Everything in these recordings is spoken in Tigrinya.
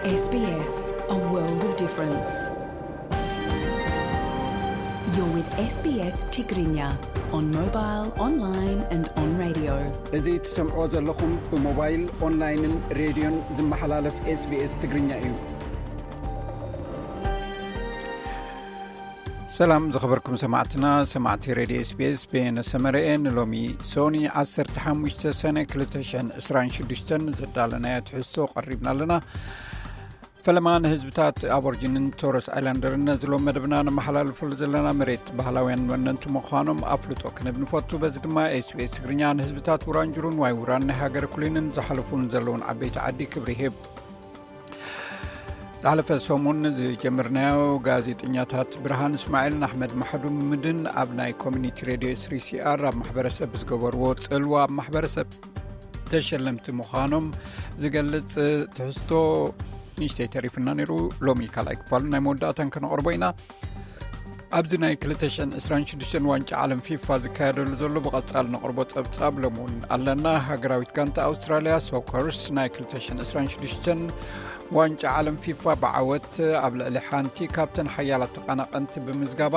S B S, a world of difference. You're with S B S Tigrinya on mobile, online and on radio. እዚ ትሰምዕዎ ዘለኹም ብሞባይል፣ ኦንላይንን ሬድዮን ዝመሓላለፍ S B S ትግርኛ እዩ። ሰላም ዝኸበርኩም ሰማዕትና፣ ሰማዕቲ ሬድዮ S B S፣ በየነ ሰመረኤ። ንሎሚ ሶኒ ዓሰርተ ሓሙሽተ ሰነ ክልተ ሽሕን ዕስራን ሽዱሽተን ዘዳለናዮ ትሕዝቶ ቀሪብና ኣለና። ፈለማ ንህዝብታት ኣቦርጅንን ቶረስ ኣይላንደርን ነዚ ሎም መደብና ነመሓላልፈሉ ዘለና መሬት ባህላውያን ወነንቲ ምዃኖም ኣፍልጦ ክንህብ ንፈቱ። በዚ ድማ S B S ትግርኛ ንህዝብታት ውራንጅሩን ዋይ ውራን ናይ ሃገር ኩሊንን ዝሓለፉን ዘለውን ዓበይቲ ዓዲ ክብሪ ይህብ። ዝሓለፈ ሰሙን ዝጀመርናዮ ጋዜጠኛታት ብርሃን እስማዒልን ኣሕመድ ማሕዱምድን ኣብ ናይ ኮሚኒቲ ሬድዮ ስሪ ሲ ኣር ኣብ ማሕበረሰብ ብዝገበርዎ ጽልዋ ኣብ ማሕበረሰብ ተሸለምቲ ምዃኖም ዝገልጽ ትሕዝቶ ንእሽተይ ተሪፍና ነይሩ። ሎሚ ካልኣይ ክፋሉ ናይ መወዳእታን ከነቕርቦ ኢና። ኣብዚ ናይ ክልተ ሽሕን ዕስራን ሽዱሽተን ዋንጫ ዓለም ፊፋ ዝካየደሉ ዘሎ ብቐጻል ነቕርቦ ጸብጻብ ሎም እውን ኣለና። ሃገራዊት ጋንታ ኣውስትራልያ ሶከርስ ናይ ክልተ ሽሕን ዕስራን ሽዱሽተን ዋንጫ ዓለም ፊፋ ብዓወት ኣብ ልዕሊ ሓንቲ ካብተን ሓያላት ተቐናቐንቲ ብምዝጋባ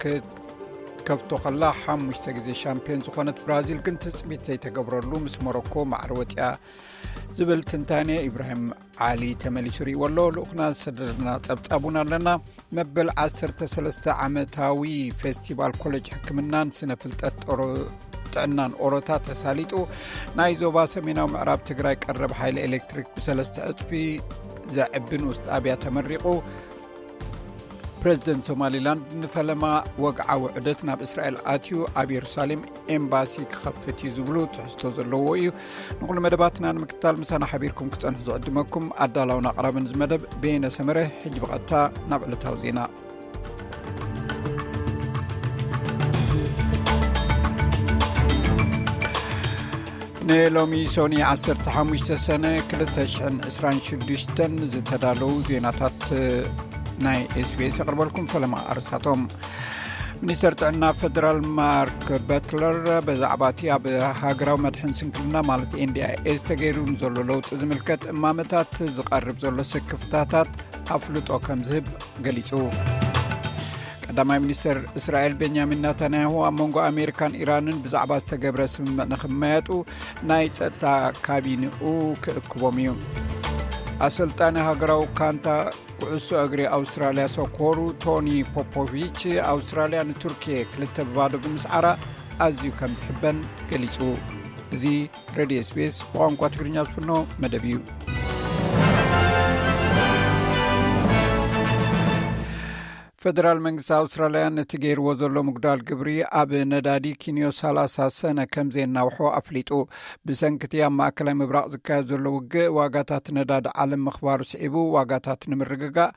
ክትከፍቶ ከላ፣ ሓሙሽተ ግዜ ሻምፒዮን ዝኾነት ብራዚል ግን ትጽቢት ዘይተገብረሉ ምስ ሞሮኮ ማዕረ ወጺኣ ዝብል ትንታኔ ኢብራሂም ዓሊ ተመሊሱ ርእይዎ ኣሎ። ልኡኽና ዝሰደደልና ጸብጻብ እውን ኣለና። መበል ዓሰርተ ሰለስተ ዓመታዊ ፌስቲቫል ኮሌጅ ሕክምናን ስነ ፍልጠት ጦሮ-፣ ጥዕናን ኦሮታ ተሳሊጡ። ናይ ዞባ ሰሜናዊ ምዕራብ ትግራይ ቀረብ ሓይሊ ኤሌክትሪክ ብሰለስተ ዕጽፊ ዘዕቢ ንኡስ ጣብያ ተመሪቑ። ፕሬዚደንት ሶማሊላንድ ንፈለማ ወግዓዊ ዑደት ናብ እስራኤል ኣትዩ፣ ኣብ የሩሳሌም ኤምባሲ ክኸፍት እዩ ዝብሉ ትሕዝቶ ዘለዎ እዩ። ንኹሉ መደባትና ንምክትታል ምሳና ሓቢርኩም ክጸንሑ ዝዕድመኩም ኣዳላውን ኣቕራብን እዚ መደብ በየነ ሰመረ። ሕጂ ብቐጥታ ናብ ዕለታዊ ዜና። ንሎሚ ሶኒ ዓሰርተ ሓሙሽተ ሰነ ክልተ ሽሕን ዕስራን ሽዱሽተን ዝተዳለዉ ዜናታት ናይ S B S የቕርበልኩም። ፈለማ ኣርእስታቶም። ሚኒስተር ጥዕና ፌደራል ማርክ በትለር ብዛዕባ እቲ ኣብ ሃገራዊ መድሕን ስንክልና ማለት N D I S ተገይሩ ንዘሎ ለውጢ ዝምልከት እማመታት ዝቐርብ ዘሎ ስክፍታታት ኣፍልጦ ከም ዝህብ ገሊጹ። ቀዳማይ ሚኒስተር እስራኤል ቤንያሚን ናታንያሁ ኣብ መንጎ ኣሜሪካን ኢራንን ብዛዕባ ዝተገብረ ስምምዕ ንኽመያጡ ናይ ጸጥታ ካቢንኡ ክእክቦም እዩ። ኣሰልጣኒ ሃገራዊ ካንታ ኩዕሶ እግሪ ኣውስትራልያ ሶኮሩ ቶኒ ፖፖቪች ኣውስትራልያ ንቱርኪየ ክልተ ብባዶ ብምስዓራ ኣዝዩ ከም ዝሕበን ገሊጹ። እዚ ሬድዮ S B S ብቋንቋ ትግርኛ ዝፍኖ መደብ እዩ። ፌደራል መንግስቲ ኣውስትራልያ ነቲ ገይርዎ ዘሎ ምጉዳል ግብሪ ኣብ ነዳዲ ኪንዮ ሰላሳ ሰነ ከም ዘየናውሖ ኣፍሊጡ። ብሰንኪ እቲ ኣብ ማእከላይ ምብራቕ ዝካየድ ዘሎ ውግእ ዋጋታት ነዳዲ ዓለም ምኽባሩ ስዒቡ፣ ዋጋታት ንምርግጋእ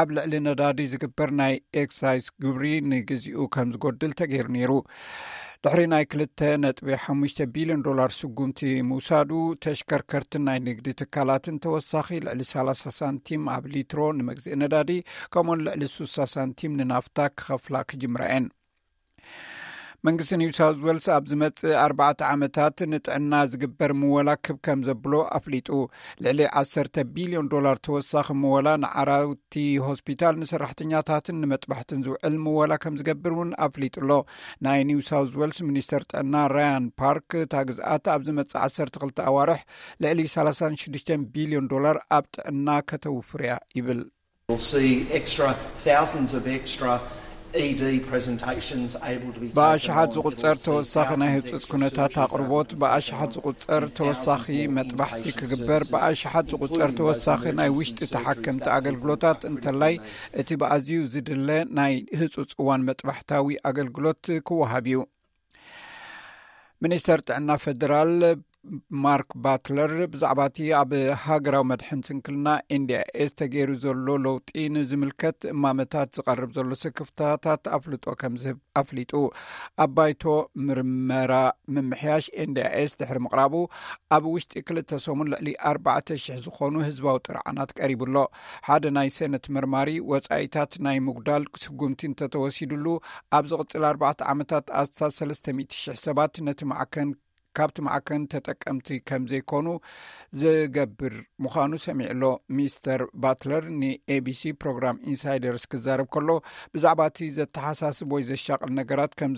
ኣብ ልዕሊ ነዳዲ ዝግበር ናይ ኤክሳይዝ ግብሪ ንግዚኡ ከም ዝጎድል ተገይሩ ነይሩ። ድሕሪ ናይ ክልተ ነጥቢ ሓሙሽተ ቢልዮን ዶላር ስጉምቲ ምውሳዱ፣ ተሽከርከርትን ናይ ንግዲ ትካላትን ተወሳኺ ልዕሊ ሰላሳ ሳንቲም ኣብ ሊትሮ ንመግዝኢ ነዳዲ፣ ከምኡውን ልዕሊ ስሳ ሳንቲም ንናፍታ ክኸፍላ ክጅምራ እየን። መንግስቲ ኒው ሳውዝ ዌልስ ኣብ ዝመጽእ ኣርባዕተ ዓመታት ንጥዕና ዝግበር ምወላ ክብ ከም ዘብሎ ኣፍሊጡ። ልዕሊ ዓሰርተ ቢልዮን ዶላር ተወሳኺ ምወላ ንዓራውቲ ሆስፒታል፣ ንሰራሕተኛታትን ንመጥባሕትን ዝውዕል ምወላ ከም ዝገብር እውን ኣፍሊጡ ኣሎ። ናይ ኒው ሳውዝ ዌልስ ሚኒስተር ጥዕና ራያን ፓርክ፣ እታ ግዝኣት ኣብ ዝመጽእ ዓሰርተ ክልተ ኣዋርሕ ልዕሊ ሰላሳን ሽዱሽተን ቢልዮን ዶላር ኣብ ጥዕና ከተውፍር እያ ይብል። We'll see extra, thousands of extra E D presentations able to be taken ብኣሽሓት on. ዝቁጸር It'll see ተወሳኺ ናይ thousands ህጹጽ extra ኩነታት surgeries able ኣቕርቦት፣ to be ብኣሽሓት done ዝቁጸር and ተወሳኺ thousands more መጥባሕቲ inpatient ክግበር፣ services, ብኣሽሓት ዝቁጸር including those ተወሳኺ ናይ emergency ውሽጢ surgeries ተሓከምቲ that could ኣገልግሎታት፣ potentially እንተላይ እቲ ብኣዝዩ ዝድለ ናይ ህጹጽ እዋን መጥባሕታዊ ኣገልግሎት ክወሃብ እዩ። ሚኒስተር ጥዕና ፌደራል ማርክ ባትለር ብዛዕባ እቲ ኣብ ሃገራዊ መድሕን ስንክልና N D I S ተገይሩ ዘሎ ለውጢ ንዝምልከት እማመታት ዝቐርብ ዘሎ ስክፍታታት ኣፍልጦ ከም ዝህብ ኣፍሊጡ። ኣብ ባይቶ ምርመራ ምምሕያሽ N D I S ድሕሪ ምቕራቡ፣ ኣብ ውሽጢ ክልተ ሰሙን ልዕሊ ኣርባዕተ ሽሕ ዝኾኑ ህዝባዊ ጥርዓናት ቀሪቡ ኣሎ። ሓደ ናይ ሴነት መርማሪ፣ ወጻኢታት ናይ ምጉዳል ስጉምቲ እንተተወሲዱሉ፣ ኣብ ዝቕጽል ኣርባዕተ ዓመታት ኣስታት ሰለስተ ሚእቲ ሽሕ ሰባት ነቲ ማዕከን ካብቲ ማዕከን ተጠቀምቲ ከም ዘይኮኑ ዝገብር ምዃኑ ሰሚዑ ኣሎ። ሚስተር ባትለር ንኤቢሲ ፕሮግራም ኢንሳይደርስ ክዛረብ ከሎ፣ ብዛዕባ እቲ ዘተሓሳስብ ወይ ዘሻቕል ነገራት ከም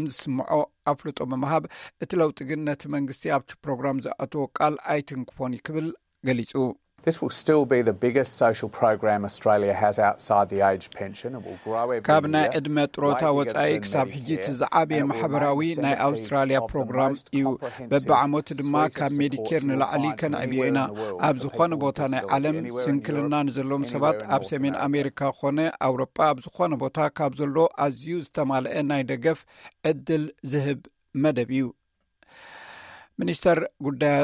ዝስምዖ ኣፍልጦ ብምሃብ፣ እቲ ለውጢ ግን ነቲ መንግስቲ ኣብቲ ፕሮግራም ዝኣተዎ ቃል ኣይትንክፎን እዩ ክብል ገሊጹ። This will still be the biggest social program Australia has outside the age pension. It will grow every ካብ ናይ year. ዕድመ ጥሮታ ወጻኢ ክሳብ ሕጂ እቲ ዝዓበየ ማሕበራዊ ናይ ኣውስትራልያ ፕሮግራም እዩ። በብዓመቱ ድማ ካብ ሜዲኬር ንላዕሊ ከነዕብዮ ኢና። ኣብ ዝኾነ ቦታ ናይ ዓለም ስንክልና ንዘለዎም ሰባት፣ ኣብ ሰሜን ኣሜሪካ ኾነ ኣውሮጳ፣ ኣብ ዝኾነ ቦታ ካብ ዘሎ ኣዝዩ ዝተማልአ ናይ ደገፍ ዕድል ዝህብ መደብ እዩ። ሚኒስተር ጉዳያ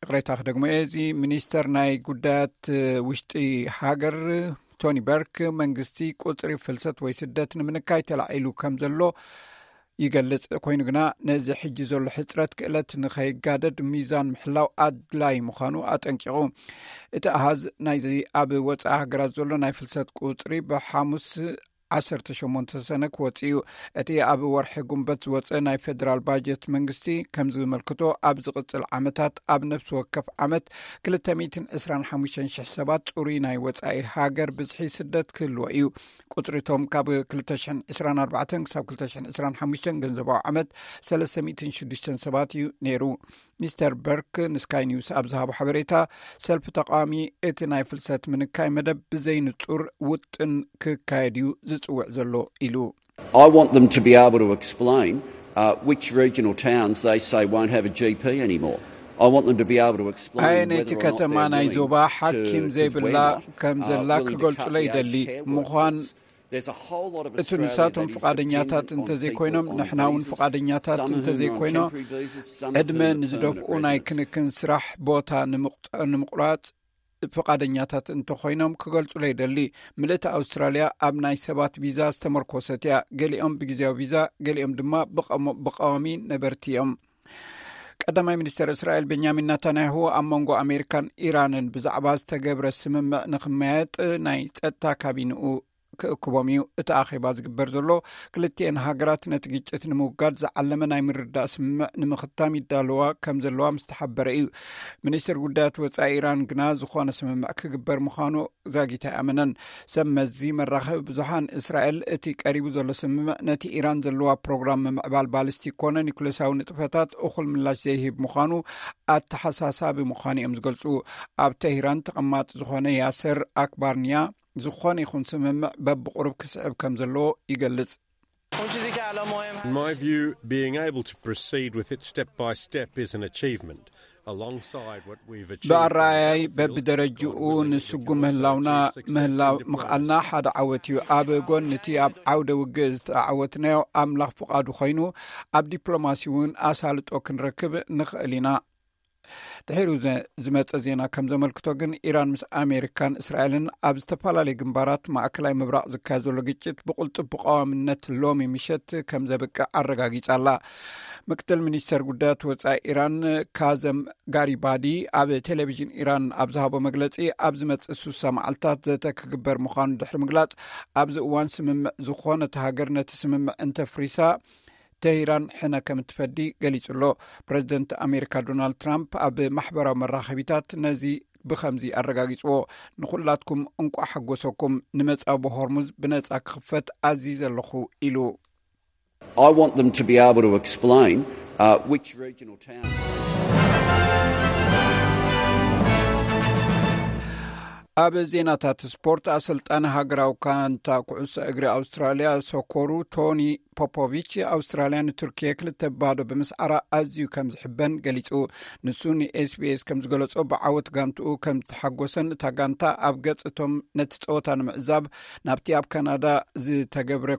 ይቕሬታ ክደግሞ እየ። እዚ ሚኒስተር ናይ ጉዳያት ውሽጢ ሃገር ቶኒ በርክ፣ መንግስቲ ቁጽሪ ፍልሰት ወይ ስደት ንምንካይ ተላዒሉ ከም ዘሎ ይገልጽ። ኮይኑ ግና፣ ነዚ ሕጂ ዘሎ ሕጽረት ክእለት ንኸይጋደድ ሚዛን ምሕላው ኣድላይ ምዃኑ ኣጠንቂቑ። እቲ ኣሃዝ ናይዚ ኣብ ወጻኢ ሃገራት ዘሎ ናይ ፍልሰት ቁጽሪ ብሓሙስ ዓሰርተ ሸሞንተ ሰነ ክወጽእ እዩ። እቲ ኣብ ወርሒ ጉንበት ዝወጸ ናይ ፌደራል ባጀት መንግስቲ ከም ዝመልክቶ፣ ኣብ ዝቕጽል ዓመታት ኣብ ነፍሲ ወከፍ ዓመት ክልተ ሚእትን ዕስራን ሓሙሽተን ሽሕ ሰባት ጽሩይ ናይ ወጻኢ ሃገር ብዝሒ ስደት ክህልዎ እዩ። ቁጽሪቶም ካብ ክልተ ሽሕን ዕስራን ኣርባዕተን ክሳብ ክልተ ሽሕን ዕስራን ሓሙሽተን ገንዘባዊ ዓመት ሰለስተ ሚእትን ሽዱሽተን ሰባት እዩ ነይሩ። ሚስተር በርክ ንስካይ ኒውስ ኣብ ዝሃቦ ሓበሬታ፣ ሰልፊ ተቃዋሚ እቲ ናይ ፍልሰት ምንካይ መደብ ብዘይንጹር ውጥን ክካየድ እዩ ዝጽውዕ ዘሎ ኢሉ። I want them to be able to explain uh, which regional towns they say won't have a G P anymore. I want them to be able to explain ኣየነይቲ whether or not ከተማ they're ናይ willing ዞባ to, ሓኪም because ዘይብላ we're not, ከም uh, ዘላ willing to cut ክገልጹለይ the ይደሊ aged care ምዃን workforce. There's a whole lot of እቲ Australia ንሳቶም that is ፍቓደኛታት dependent on እንተዘይኮይኖም people on ንሕና እውን visas. ፍቓደኛታት Some of whom are on እንተዘይኮይኖ temporary visas, some of ዕድመ whom are ንዝደፍኡ permanent ናይ residents. ክንክን ስራሕ ቦታ ንምቕ- ንምቑራጽ ፍቓደኛታት እንተኾይኖም ክገልጹለይ ይደሊ። ምልእቲ ኣውስትራልያ ኣብ ናይ ሰባት ቪዛ ዝተመርኮሰት እያ። ገሊኦም ብግዜያዊ ቪዛ፣ ገሊኦም ድማ ብቐሞ- ብቐዋሚ ነበርቲ እዮም። ቀዳማይ ሚኒስተር እስራኤል ቤንያሚን ናታንያሁ፣ ኣብ መንጎ ኣሜሪካን ኢራንን ብዛዕባ ዝተገብረ ስምምዕ ንክመያየጥ ናይ ጸጥታ ካቢንኡ ክእክቦም እዩ። እቲ ኣኼባ ዝግበር ዘሎ፣ ክልቲኤን ሃገራት ነቲ ግጭት ንምውጋድ ዝዓለመ ናይ ምርዳእ ስምምዕ ንምኽታም ይዳለዋ ከም ዘለዋ ምስ ተሓበረ እዩ። ሚኒስትር ጉዳያት ወጻኢ ኢራን ግና፣ ዝኾነ ስምምዕ ክግበር ምዃኑ ዛጊት ኣይኣመነን። ሰብ መዚ መራኸቢ ብዙሓን፣ እስራኤል እቲ ቀሪቡ ዘሎ ስምምዕ ነቲ ኢራን ዘለዋ ፕሮግራም ምምዕባል ባሊስቲክ ኮነ ኒኩሌሳዊ ንጥፈታት እኹል ምላሽ ዘይህብ ምዃኑ ኣተሓሳሳቢ ምዃኑ እዮም ዝገልጹ። ኣብ ተሂራን ተቐማጢ ዝኾነ ያሰር ኣክባርንያ፣ ዝኾነ ይኹን ስምምዕ በብቑሩብ ክስዕብ ከም ዘለዎ ይገልጽ። In my view, being able to proceed with it step by step is an achievement. Alongside what we've achieved on the ብኣረኣያይ battlefield, በብደረጅኡ God willing, we ንስጉ can also ምህላውና achieve success in ምህላው diplomacy. ምኽኣልና ሓደ ዓወት እዩ። ኣብ ጎኒ እቲ ኣብ ዓውደ ውግእ ዝተዓወትናዮ፣ ኣምላኽ ፍቓዱ ኮይኑ፣ ኣብ ዲፕሎማሲ እውን ኣሳልጦ ክንረክብ ንኽእል ኢና። ድሒሩ ዘ- ዝመጸ ዜና ከም ዘመልክቶ ግን፣ ኢራን ምስ ኣሜሪካን እስራኤልን ኣብ ዝተፈላለዩ ግንባራት ማእከላይ ምብራቕ ዝካየድ ዘሎ ግጭት ብቕልጡፍ ብቐዋምነት ሎሚ ምሸት ከም ዘብቅዕ ኣረጋጊጻ ኣላ። ምክትል ሚኒስተር ጉዳያት ወጻኢ ኢራን ካዘም ጋሪባዲ ኣብ ቴሌቪዥን ኢራን ኣብ ዝሃቦ መግለጺ፣ ኣብ ዝመጽእ ሱሳ መዓልታት ዘተ ክግበር ምዃኑ ድሕሪ ምግላጽ፣ ኣብዚ እዋን ስምምዕ ዝኾነት ሃገር ነቲ ስምምዕ እንተፍሪሳ፣ ተሂራን ሕነ ከም እትፈዲ ገሊጹ ኣሎ። ፕረዚደንት ኣሜሪካ ዶናልድ ትራምፕ ኣብ ማሕበራዊ መራኸቢታት ነዚ ብኸምዚ ኣረጋጊጽዎ፣ "ንኹላትኩም እንቋዕ ሓጎሰኩም፣ ንመጻጉ ሆርሙዝ ብነጻ ክኽፈት ኣዚዘ ኣለኹ" ኢሉ። I want them to be able to explain uh, which regional towns. ኣብ ዜናታት ስፖርት፣ ኣሰልጣኒ ሃገራዊ ጋንታ ኩዕሶ እግሪ ኣውስትራልያ ሶኮሩ ቶኒ ፖፖቪች፣ ኣውስትራልያ ንቱርኪየ ክልተ ባዶ ብምስዓራ ኣዝዩ ከም ዝሕበን ገሊጹ። ንሱ ንኤስቢኤስ ከም ዝገለጾ፣ ብዓወት ጋንትኡ ከም ዝተሓጎሰን እታ ጋንታ ኣብ ገጽ እቶም ነቲ ጸወታ ንምዕዛብ ናብቲ ኣብ ካናዳ ዝተገብረ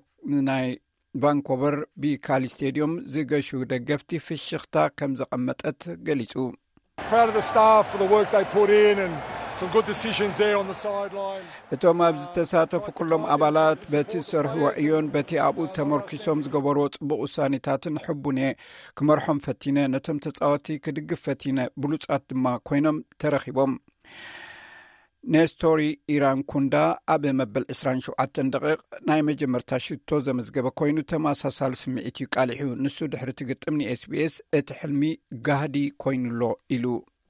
ናይ ቫንኮቨር ቢካሊ ስቴድዮም ዝገሹ ደገፍቲ ፍሽኽታ ከም ዘቐመጠት ገሊጹ። Proud of the staff for the work they put in and some good decisions there on the sideline. እቶም ኣብ ዝተሳተፉ ኩሎም ኣባላት በቲ ዝሰርሕዎ ዕዮን በቲ ኣብኡ ተመርኪሶም ዝገበርዎ ጽቡቕ ውሳኔታትን ሕቡን እየ። ክመርሖም ፈቲነ፣ ነቶም ተጻወቲ ክድግፍ ፈቲነ፣ ብሉጻት ድማ ኮይኖም ተረኺቦም። ኔስቶሪ ኢራን ኩንዳ ኣብ መበል ዕስራን ሸውዓተን ደቂቕ ናይ መጀመርታ ሽቶ ዘመዝገበ ኮይኑ፣ ተመሳሳሊ ስምዒት እዩ ቃሊሑ። ንሱ ድሕሪ እቲ ግጥም ንኤስቢኤስ፣ "እቲ ሕልሚ ጋህዲ ኮይኑሎ" ኢሉ።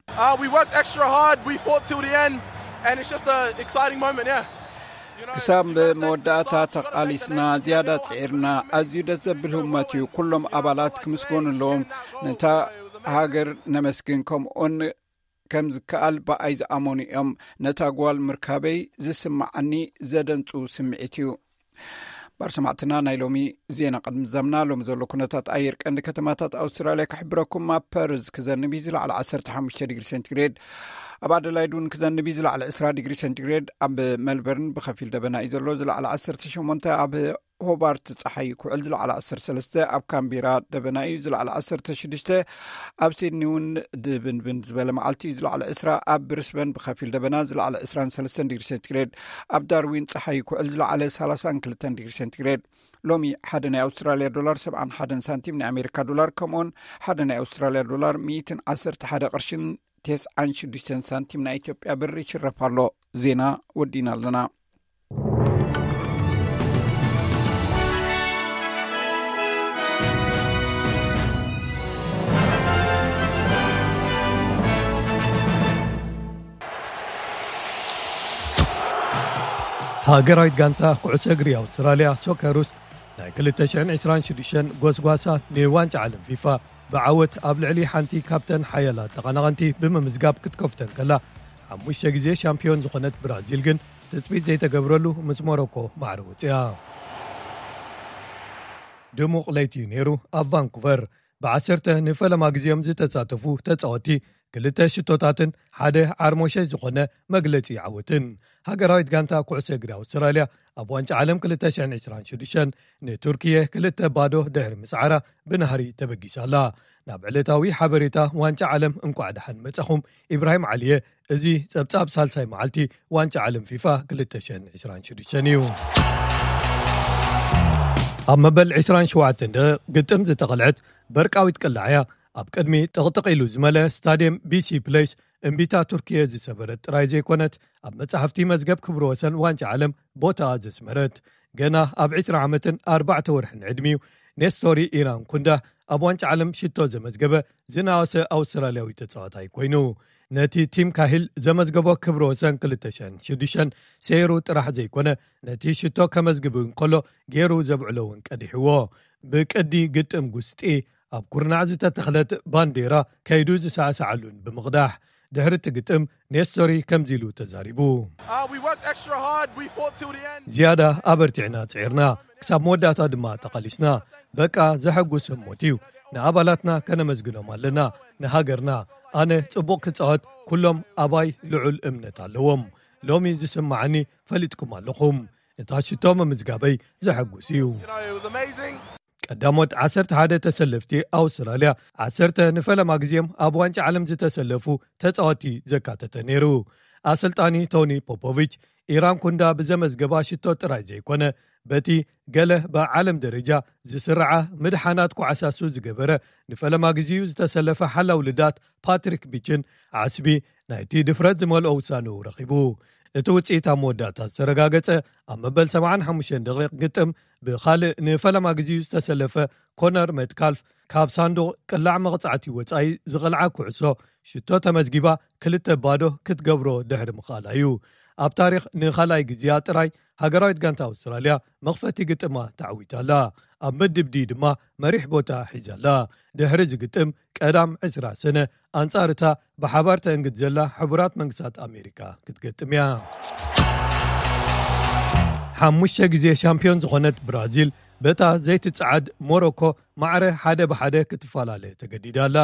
Uh, we worked extra hard. We fought till the end, and it's just an exciting moment. Yeah. You know, ክሳብ you know, thank you, መወዳእታ Scott. You know, thank the ተቓሊስና፣ nation. ዝያዳ You know, ጽዒርና። ኣዝዩ ደስ ዘብል ህሞት እዩ። ኩሎም ኣባላት ክምስገኑ ኣለዎም። ነታ ሃገር ነመስግን፣ ከምኡውን ከም ዝከኣል ብኣይ ዝኣመኑ እዮም። ነታ ጓል ምርካበይ ዝስምዓኒ ዘደንጹ ስምዒት እዩ። ባር ሰማዕትና፣ ናይ ሎሚ ዜና ቅድሚ ዛምና፣ ሎሚ ዘሎ ኩነታት ኣየር ቀንዲ ከተማታት ኣውስትራልያ ክሕብረኩም። ኣብ ፐርዝ ክዘንብ እዩ፣ ዝለዓለ ዓሰርተ ሓሙሽተ ዲግሪ ሴንቲግሬድ። ኣብ ኣደላይድ እውን ክዘንብ እዩ፣ ዝለዓለ ዕስራ ዲግሪ ሴንቲግሬድ። ኣብ መልበርን ብኸፊል ደበና እዩ ዘሎ፣ ዝለዓለ ዓሰርተ ሸሞንተ። ኣብ ሆባርት ጸሓይ ክውዕል፣ ዝለዓለ ዓሰርተ ሰለስተ። ኣብ ካምቢራ ደበና እዩ፣ ዝለዓለ ዓሰርተ ሽዱሽተ። ኣብ ሲድኒ እውን ድብንብን ዝበለ መዓልቲ እዩ፣ ዝለዓለ ዕስራ። ኣብ ብሪስበን ብኸፊል ደበና፣ ዝለዓለ ዕስራን ሰለስተን ዲግሪ ሴንቲግሬድ። ኣብ ዳርዊን ጸሓይ ክውዕል፣ ዝለዓለ ሰላሳን ክልተን ዲግሪ ሴንቲግሬድ። ሎሚ ሓደ ናይ ኣውስትራልያ ዶላር ሰብዓን ሓደን ሳንቲም፣ ናይ ኣሜሪካ ዶላር ከምኡውን ሓደ ናይ ኣውስትራልያ ዶላር ሚእትን ዓሰርተ ሓደ ቅርሽን ተስዓን ሽዱሽተን ሳንቲም ናይ ኢትዮጵያ ብር ይሽረፍ ኣሎ። ዜና ወዲና ኣለና። ሃገራዊት ጋንታ ኩዕሶ እግሪ ኣውስትራልያ ሶከሩስ ናይ ክልተ ሽሕን ዕስራን ሽዱሽተን ጎስጓሳ ንዋንጫ ዓለም ፊፋ ብዓወት ኣብ ልዕሊ ሓንቲ ካብተን ሓያላት ተቐናቐንቲ ብምምዝጋብ ክትከፍተን ከላ፣ ሓሙሽተ ግዜ ሻምፒዮን ዝኾነት ብራዚል ግን ትጽቢት ዘይተገብረሉ ምስ ሞሮኮ ማዕረ ወጺኣ። ድሙቕ ለይቲ እዩ ነይሩ ኣብ ቫንኩቨር። ብዓሰርተ ንፈለማ ግዜኦም ዝተሳተፉ ተጻወቲ ክልተ ሽቶታትን ሓደ ዓርሞሸ ዝኾነ መግለጺ ዓወትን። ሃገራዊት ጋንታ ኩዕሶ እግሪ ኣውስትራልያ ኣብ ዋንጫ ዓለም ክልተ ሽሕን ዕስራን ሽዱሽተን ንቱርኪየ ክልተ ባዶ ድሕሪ ምስዓራ ብናህሪ ተበጊሳ ኣላ። ናብ ዕለታዊ ሓበሬታ ዋንጫ ዓለም እንቋዕ ደሓን መጻኹም። ኢብራሂም ዓሊየ። እዚ ጸብጻብ ሳልሳይ መዓልቲ ዋንጫ ዓለም ፊፋ ክልተ ሽሕን ዕስራን ሽዱሽተን እዩ። ኣብ መበል ዕስራን ሸውዓተን ደቂቕ ግጥም ዝተቐልዐት በርቃዊት ቅላዕያ ኣብ ቅድሚ ጥቕጥቕ ኢሉ ዝመለ ስታድየም ቢሲ ፕሌስ እምቢታ ቱርኪየ ዝሰበረት ጥራይ ዘይኮነት፣ ኣብ መጻሕፍቲ መዝገብ ክብሪ ወሰን ዋንጫ ዓለም ቦታኣ ዘስመረት። ገና ኣብ ዕስራ ዓመትን ኣርባዕተ ወርሕን ዕድሚኡ ኔስቶሪ ኢራን ኩንዳ ኣብ ዋንጫ ዓለም ሽቶ ዘመዝገበ ዝናወሰ ኣውስትራልያዊ ተጻዋታይ ኮይኑ፣ ነቲ ቲም ካሂል ዘመዝገቦ ክብሪ ወሰን ክልተ ሽሕን ሽዱሽተን ሰይሩ ጥራሕ ዘይኮነ፣ ነቲ ሽቶ ከመዝግብ እንከሎ ገይሩ ዘብዕሎ እውን ቀዲሕዎ። ብቅዲ ግጥም ጉስጢ ኣብ ኩርናዕ ዝተተኽለት ባንዴራ ከይዱ ዝሰዕሰዓሉን ብምቕዳሕ፣ ድሕሪ እቲ ግጥም ኔስቶሪ ከምዚ ኢሉ ተዛሪቡ። Uh, we worked extra hard. We fought till the end. ዝያዳ ኣበርቲዕና ጽዒርና፣ ክሳብ መወዳእታ ድማ ተቓሊስና። በቃ ዘሐጉስ ህሞት እዩ። ንኣባላትና ከነመስግኖም ኣለና፣ ንሃገርና። ኣነ ጽቡቕ ክጻወት ኩሎም ኣባይ ልዑል እምነት ኣለዎም። ሎሚ ዝስምዓኒ ፈሊጥኩም ኣለኹም። እታ ሽቶ ምምዝጋበይ ዘሐጉስ እዩ። You know, it was amazing. ቀዳሞት ዓሰርተ ሓደ ተሰለፍቲ ኣውስትራልያ፣ ዓሰርተ ንፈለማ ግዜም ኣብ ዋንጫ ዓለም ዝተሰለፉ ተጻወቲ ዘካተተ ነይሩ። ኣሰልጣኒ ቶኒ ፖፖቪች፣ ኢራን ኩንዳ ብዘመዝገባ ሽቶ ጥራይ ዘይኮነ፣ በቲ ገለ ብዓለም ደረጃ ዝስርዓ ምድሓናት ኳዕሳሱ ዝገበረ፣ ንፈለማ ግዜኡ ዝተሰለፈ ሓላው ልዳት ፓትሪክ ቢችን ዓስቢ ናይቲ ድፍረት ዝመልኦ ውሳንኡ ረኺቡ። እቲ ውጽኢት ኣብ መወዳእታ ዝተረጋገጸ፣ ኣብ መበል ሰብዓን ሓሙሽተን ደቂቕ ግጥም ብኻልእ ንፈለማ ግዜኡ ዝተሰለፈ ኮነር መትካልፍ ካብ ሳንዱቕ ቅላዕ መቕጻዕቲ ወጻኢ ዝቐልዓ ኩዕሶ ሽቶ ተመዝጊባ ክልተ ባዶ ክትገብሮ ድሕሪ ምኽኣላ እዩ። ኣብ ታሪኽ ንኻልኣይ ግዜኣ ጥራይ ሃገራዊት ጋንታ ኣውስትራልያ መኽፈቲ ግጥማ ተዓዊታላ። ኣብ ምድብ ዲ ድማ መሪሕ ቦታ ሒዛላ። ድሕሪ እዚ ግጥም ቀዳም ዕስራ ሰነ ኣንጻር እታ ብሓባር ተእንግድ ዘላ ሕቡራት መንግስታት ኣሜሪካ ክትገጥም እያ። ሓሙሽተ ግዜ ሻምፒዮን ዝኾነት ብራዚል በታ ዘይትጸዓድ ሞሮኮ ማዕረ ሓደ ብሓደ ክትፈላለ ተገዲዳ ኣላ።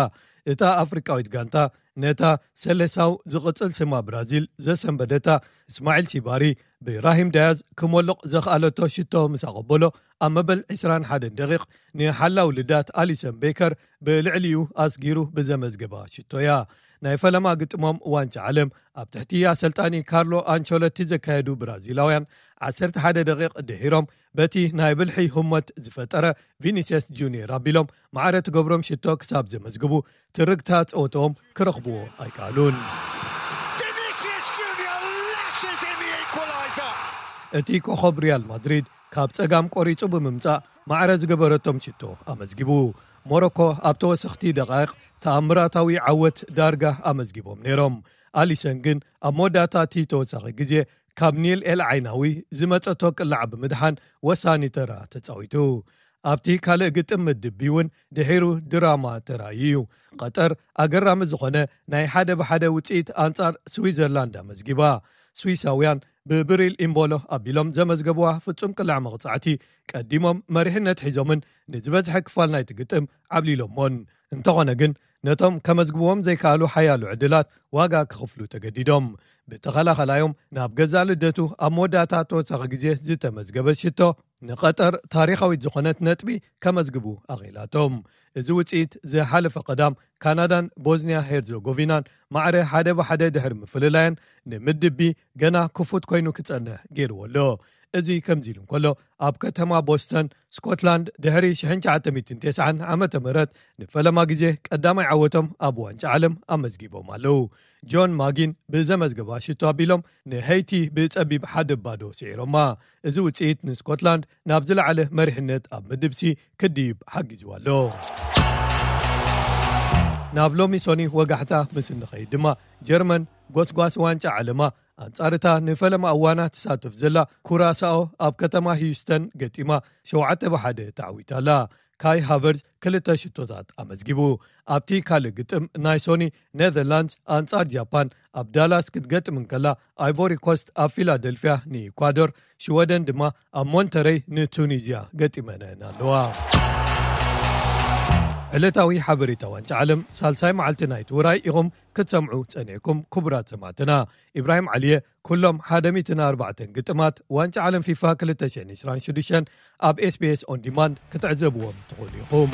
እታ ኣፍሪቃዊት ጋንታ ነታ ሰለሳው ዝቕጽል ስማ ብራዚል ዘሰንበደታ እስማዒል ሲባሪ ብራሂም ዳያዝ ክሞልቕ ዘኽኣለቶ ሽቶ ምስ ኣቐበሎ ኣብ መበል ዕስራን ሓደን ደቂቕ ንሓላው ልዳት ኣሊሰን ቤከር ብልዕሊኡ ኣስጊሩ ብዘመዝገባ ሽቶ እያ። ናይ ፈለማ ግጥሞም ዋንጫ ዓለም ኣብ ትሕቲ ኣሰልጣኒ ካርሎ ኣንቸሎቲ ዘካየዱ ብራዚላውያን ዓሰርተ ሓደ ደቂቕ ድሒሮም በቲ ናይ ብልሒ ህሞት ዝፈጠረ ቪኒስየስ ጁኒየር ኣቢሎም ማዕረ ትገብሮም ሽቶ ክሳብ ዘመዝግቡ ትርግታ ጸወትኦም ክረኽብዎ ኣይከኣሉን። Junior lashes in the equaliser. እቲ ኮኸብ ሪያል ማድሪድ ካብ ጸጋም ቆሪጹ ብምምጻእ ማዕረ ዝገበረቶም ሽቶ ኣመዝጊቡ። ሞሮኮ ኣብ ተወሰኽቲ ደቓይቕ ተኣምራታዊ ዓወት ዳርጋ ኣመዝጊቦም ነይሮም። ኣሊሰን ግን ኣብ መወዳእታ እቲ ተወሳኺ ግዜ ካብ ኒል ኤል ዓይናዊ ዝመጸቶ ቅላዕ ብምድሓን ወሳኒ ተራ ተጻዊቱ። ኣብቲ ካልእ ግጥም ምድብ ቢ እውን ድሒሩ ድራማ ተራእዩ እዩ። ቀጠር ኣገራሚ ዝኾነ ናይ ሓደ ብሓደ ውጽኢት ኣንጻር ስዊዘርላንድ ኣመዝጊባ። ስዊሳውያን ብብሪል ኢምቦሎ ኣቢሎም ዘመዝገቡዋ ፍጹም ቅላዕ መቕጻዕቲ ቀዲሞም መሪሕነት ሒዞምን ንዝበዝሐ ክፋል ናይቲ ግጥም ዓብሊሎሞን። እንተኾነ ግን ነቶም ከመዝግብዎም ዘይከኣሉ ሓያሎ ዕድላት ዋጋ ክኽፍሉ ተገዲዶም። ብተኸላኸላዮም ናብ ገዛእ ልደቱ ኣብ መወዳእታ ተወሳኺ ግዜ ዝተመዝገበ ሽቶ ንቐጠር ታሪኻዊት ዝኾነት ነጥቢ ከመዝግቡ ኣኽኢላቶም። እዚ ውጽኢት ዝሓለፈ ቀዳም ካናዳን ቦዝኒያ ሄርዞጎቪናን ማዕረ ሓደ ብሓደ ድሕሪ ምፍልላየን ንምድብ ቢ ገና ክፉት ኮይኑ ክጸንሕ ገይርዎ ኣሎ። እዚ ከምዚ ኢሉ እንከሎ ኣብ ከተማ ቦስተን ስኮትላንድ ድሕሪ ሽሕን ትሽዓተ ሚእትን ተስዓን ዓመተ ምህረት ንፈለማ ግዜ ቀዳማይ ዓወቶም ኣብ ዋንጫ ዓለም ኣመዝጊቦም ኣለዉ። ጆን ማጊን ብዘመዝገባ ሽቶ ኣቢሎም ንሄይቲ ብጸቢብ ሓደ ባዶ ስዒሮማ። እዚ ውጽኢት ንስኮትላንድ ናብ ዝለዓለ መሪሕነት ኣብ ምድብ ሲ ክድይብ ሓጊዝዋ ኣሎ። ናብ ሎሚ ሶኒ ወጋሕታ ምስ እንኸይድ ድማ ጀርመን ጎስጓስ ዋንጫ ዓለማ ኣንጻርታ ንፈለማ እዋና ትሳተፍ ዘላ ኩራሳኦ ኣብ ከተማ ሂዩስተን ገጢማ ሸውዓተ ብሓደ ተዓዊታ ኣላ። ካይ ሃቨርዝ ክልተ ሽቶታት ኣመዝጊቡ። ኣብቲ ካልእ ግጥም ናይ ሶኒ ኔዘርላንድስ ኣንጻር ጃፓን ኣብ ዳላስ ክትገጥም እንከላ ኣይቮሪ ኮስት ኣብ ፊላደልፊያ ንኢኳዶር ሽወደን ድማ ኣብ ሞንተረይ ንቱኒዝያ ገጢመነን ኣለዋ። ዕለታዊ ሓበሬታ ዋንጫ ዓለም ሳልሳይ መዓልቲ ናይቲ ውራይ ኢኹም ክትሰምዑ ጸኒዕኩም። ክቡራት ሰማዕትና፣ ኢብራሂም ዓሊየ። ኩሎም ሓደ ሚእትን ኣርባዕተን ግጥማት ዋንጫ ዓለም ፊፋ ክልተ ሽሕን ዕስራን ሽዱሽተን ኣብ ኤስቢኤስ ኦን ዲማንድ ክትዕዘብዎም ትኽእሉ ኢኹም።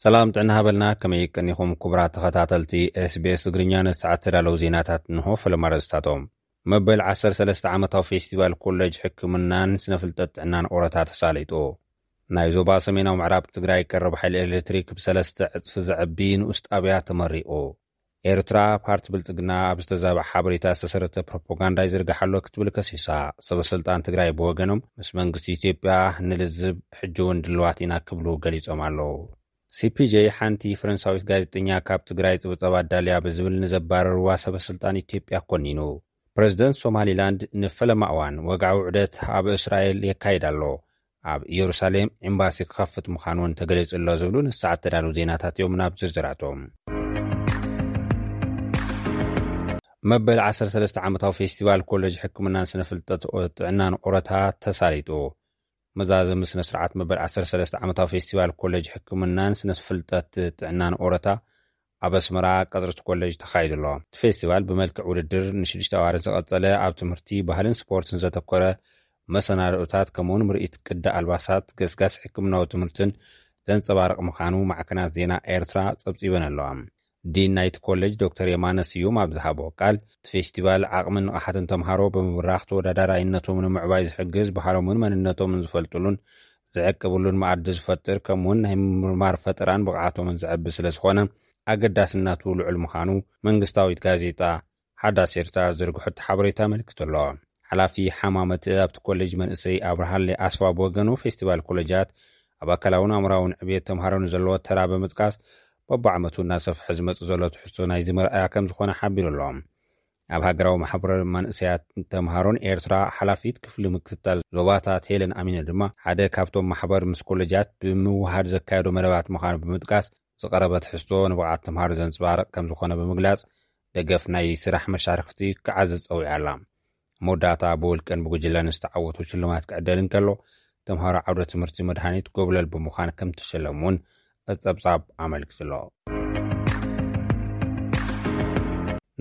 ሰላም ጥዕና ሃበልና፣ ከመይ ቀኒኹም ክቡራት ተኸታተልቲ ኤስቢኤስ ትግርኛ? ንሰዓት ተዳለዉ ዜናታት እንሆ። ፈለማ ኣርእስታቶም። መበል ዓሰርተ ሰለስተ ዓመታዊ ፌስቲቫል ኮሌጅ ሕክምናን ስነ ፍልጠት ጥዕናን ኦረታ ተሳሊጡ። ናይ ዞባ ሰሜናዊ ምዕራብ ትግራይ ቀረብ ሓይሊ ኤሌክትሪክ ብሰለስተ ዕጽፊ ዘዕቢ ንኡስ ጣብያ ተመሪቑ። ኤርትራ ፓርቲ ብልጽግና ኣብ ዝተዛብዐ ሓበሬታ ዝተሰረተ ፕሮፓጋንዳ ይዝርግሕ ኣሎ ክትብል ከሲሳ። ሰበ ስልጣን ትግራይ ብወገኖም ምስ መንግስቲ ኢትዮጵያ ንልዝብ ሕጂ እውን ድልዋት ኢና ክብሉ ገሊጾም ኣለዉ። ሲፒጄ ሓንቲ ፈረንሳዊት ጋዜጠኛ ካብ ትግራይ ጽብጸባ ኣዳልያ ብዝብል ንዘባረርዋ ሰበ ስልጣን ኢትዮጵያ ኮኒኑ። ፕረዚደንት ሶማሊላንድ ንፈለማ እዋን ወግዓዊ ዑደት ኣብ እስራኤል የካይድ ኣሎ። ኣብ ኢየሩሳሌም ኤምባሲ ክኸፍት ምዃኑ እውን ተገሊጹ ኣሎ ዝብሉ ንሰዓት ተዳለዉ ዜናታት እዮም። ናብ ዝርዝራቶም። መበል ዓሰርተ ሰለስተ ዓመታዊ ፌስቲቫል ኮሌጅ ሕክምናን ስነ ፍልጠት ጥዕናን ኦረታ ተሳሊጡ። መዛዘሚ ስነ ስርዓት መበል ዓሰርተ ሰለስተ ዓመታዊ ፌስቲቫል ኮሌጅ ሕክምናን ስነ ፍልጠት ጥዕናን ኦረታ ኣብ ኣስመራ ቀጽሪ እቲ ኮሌጅ ተኻይዱ ኣሎ። እቲ ፌስቲቫል ብመልክዕ ውድድር ንሽዱሽተ ኣዋርሕ ዝቐጸለ፣ ኣብ ትምህርቲ፣ ባህልን ስፖርትን ዘተኮረ መሰናድኦታት፣ ከምኡውን ምርኢት ቅዲ ኣልባሳት፣ ገስጋስ ሕክምናዊ ትምህርትን ዘንጸባርቕ ምዃኑ ማዕከናት ዜና ኤርትራ ጸብጺበን ኣለዋ። ዲን ናይቲ ኮሌጅ ዶክተር የማነ ስዩም ኣብ ዝሃቦ ቃል፣ እቲ ፌስቲቫል ዓቕምን ንቕሓትን ተምሃሮ ብምብራኽ ተወዳዳራይነቶም ንምዕባይ ዝሕግዝ፣ ባህሎምን መንነቶምን ዝፈልጥሉን ዝዕቅብሉን መኣዲ ዝፈጥር፣ ከምኡውን ናይ ምምርማር ፈጠራን ብቕዓቶምን ዘዕቢ ስለ ዝኾነ ኣገዳስነቱ ልዑል ምዃኑ መንግስታዊት ጋዜጣ ሓዳስ ኤርትራ ዝርግሐቶ ሓበሬታ ኣመልኪቱ ኣሎ። ሓላፊ ሓማመት ኣብቲ ኮሌጅ መንእሰይ ኣብርሃለ ኣስፋ ብወገኑ፣ ፌስቲቫል ኮሌጃት ኣብ ኣካላውን ኣእምራውን ዕብየት ተምሃሮ ንዘለዎ ተራ ብምጥቃስ፣ በብዓመቱ እናሰፍሐ ዝመጽእ ዘሎ ትሕዝቶ ናይዚ መርኣያ ከም ዝኾነ ሓቢሩ ኣሎ። ኣብ ሃገራዊ ማሕበር መንእሰያት ተምሃሮን ኤርትራ ሓላፊት ክፍሊ ምክትታል ዞባታት ሄለን ኣሚነ ድማ፣ ሓደ ካብቶም ማሕበር ምስ ኮሌጃት ብምውሃድ ዘካየዶ መደባት ምዃኑ ብምጥቃስ፣ ዝቐረበ ትሕዝቶ ንብቕዓት ተምሃሮ ዘንጸባርቕ ከም ዝኾነ ብምግላጽ፣ ደገፍ ናይ ስራሕ መሻርክቲ ክዓዝዝ ጸዊዓ ኣላ። መወዳእታ ብውልቅን ብጉጅለን ዝተዓወቱ ሽልማት ክዕደል እንከሎ፣ ተምሃሮ ዓውደ ትምህርቲ መድሃኒት ጎብለል ብምዃን ከም ትሸለሙ እውን ጸብጻብ ኣመልኪቱ ኣሎ።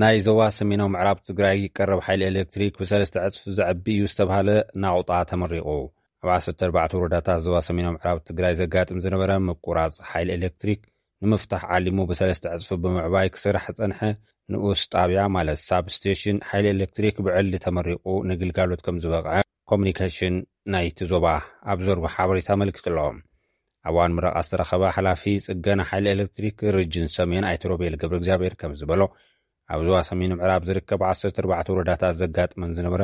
ናይ ዞባ ሰሜናዊ ምዕራብ ትግራይ ቀረብ ሓይሊ ኤሌክትሪክ ብሰለስተ ዕጽፊ ዘዕቢ እዩ ዝተባህለ ናቑጣ ተመሪቑ። ኣብ ዓሰርተ ኣርባዕተ ወረዳታት ዞባ ሰሜናዊ ምዕራብ ትግራይ ዘጋጥም ዝነበረ ምቁራጽ ሓይሊ ኤሌክትሪክ ንምፍታሕ ዓሊሙ ብሰለስተ ዕጽፊ ብምዕባይ ክስራሕ ዝጸንሐ ንኡስ ጣብያ፣ ማለት ሳብስቴሽን ሓይሊ ኤሌክትሪክ፣ ብዕሊ ተመሪቑ ንግልጋሎት ከም ዝበቕዐ ኮሙኒኬሽን ናይቲ ዞባ ኣብ ዘርጎ ሓበሬታ ኣመልኪቱ ኣሎ። ኣብ እዋን ምረቓ ዝተረኸበ ሓላፊ ጽገና ሓይሊ ኤሌክትሪክ ሪጅን ሰሜን ኣይተ ሮቤል ገብረ እግዚኣብሔር ከም ዝበሎ፣ ኣብ ዞባ ሰሜን ምዕራብ ዝርከቡ ዓሰርተ ኣርባዕተ ወረዳታት ዘጋጥመን ዝነበረ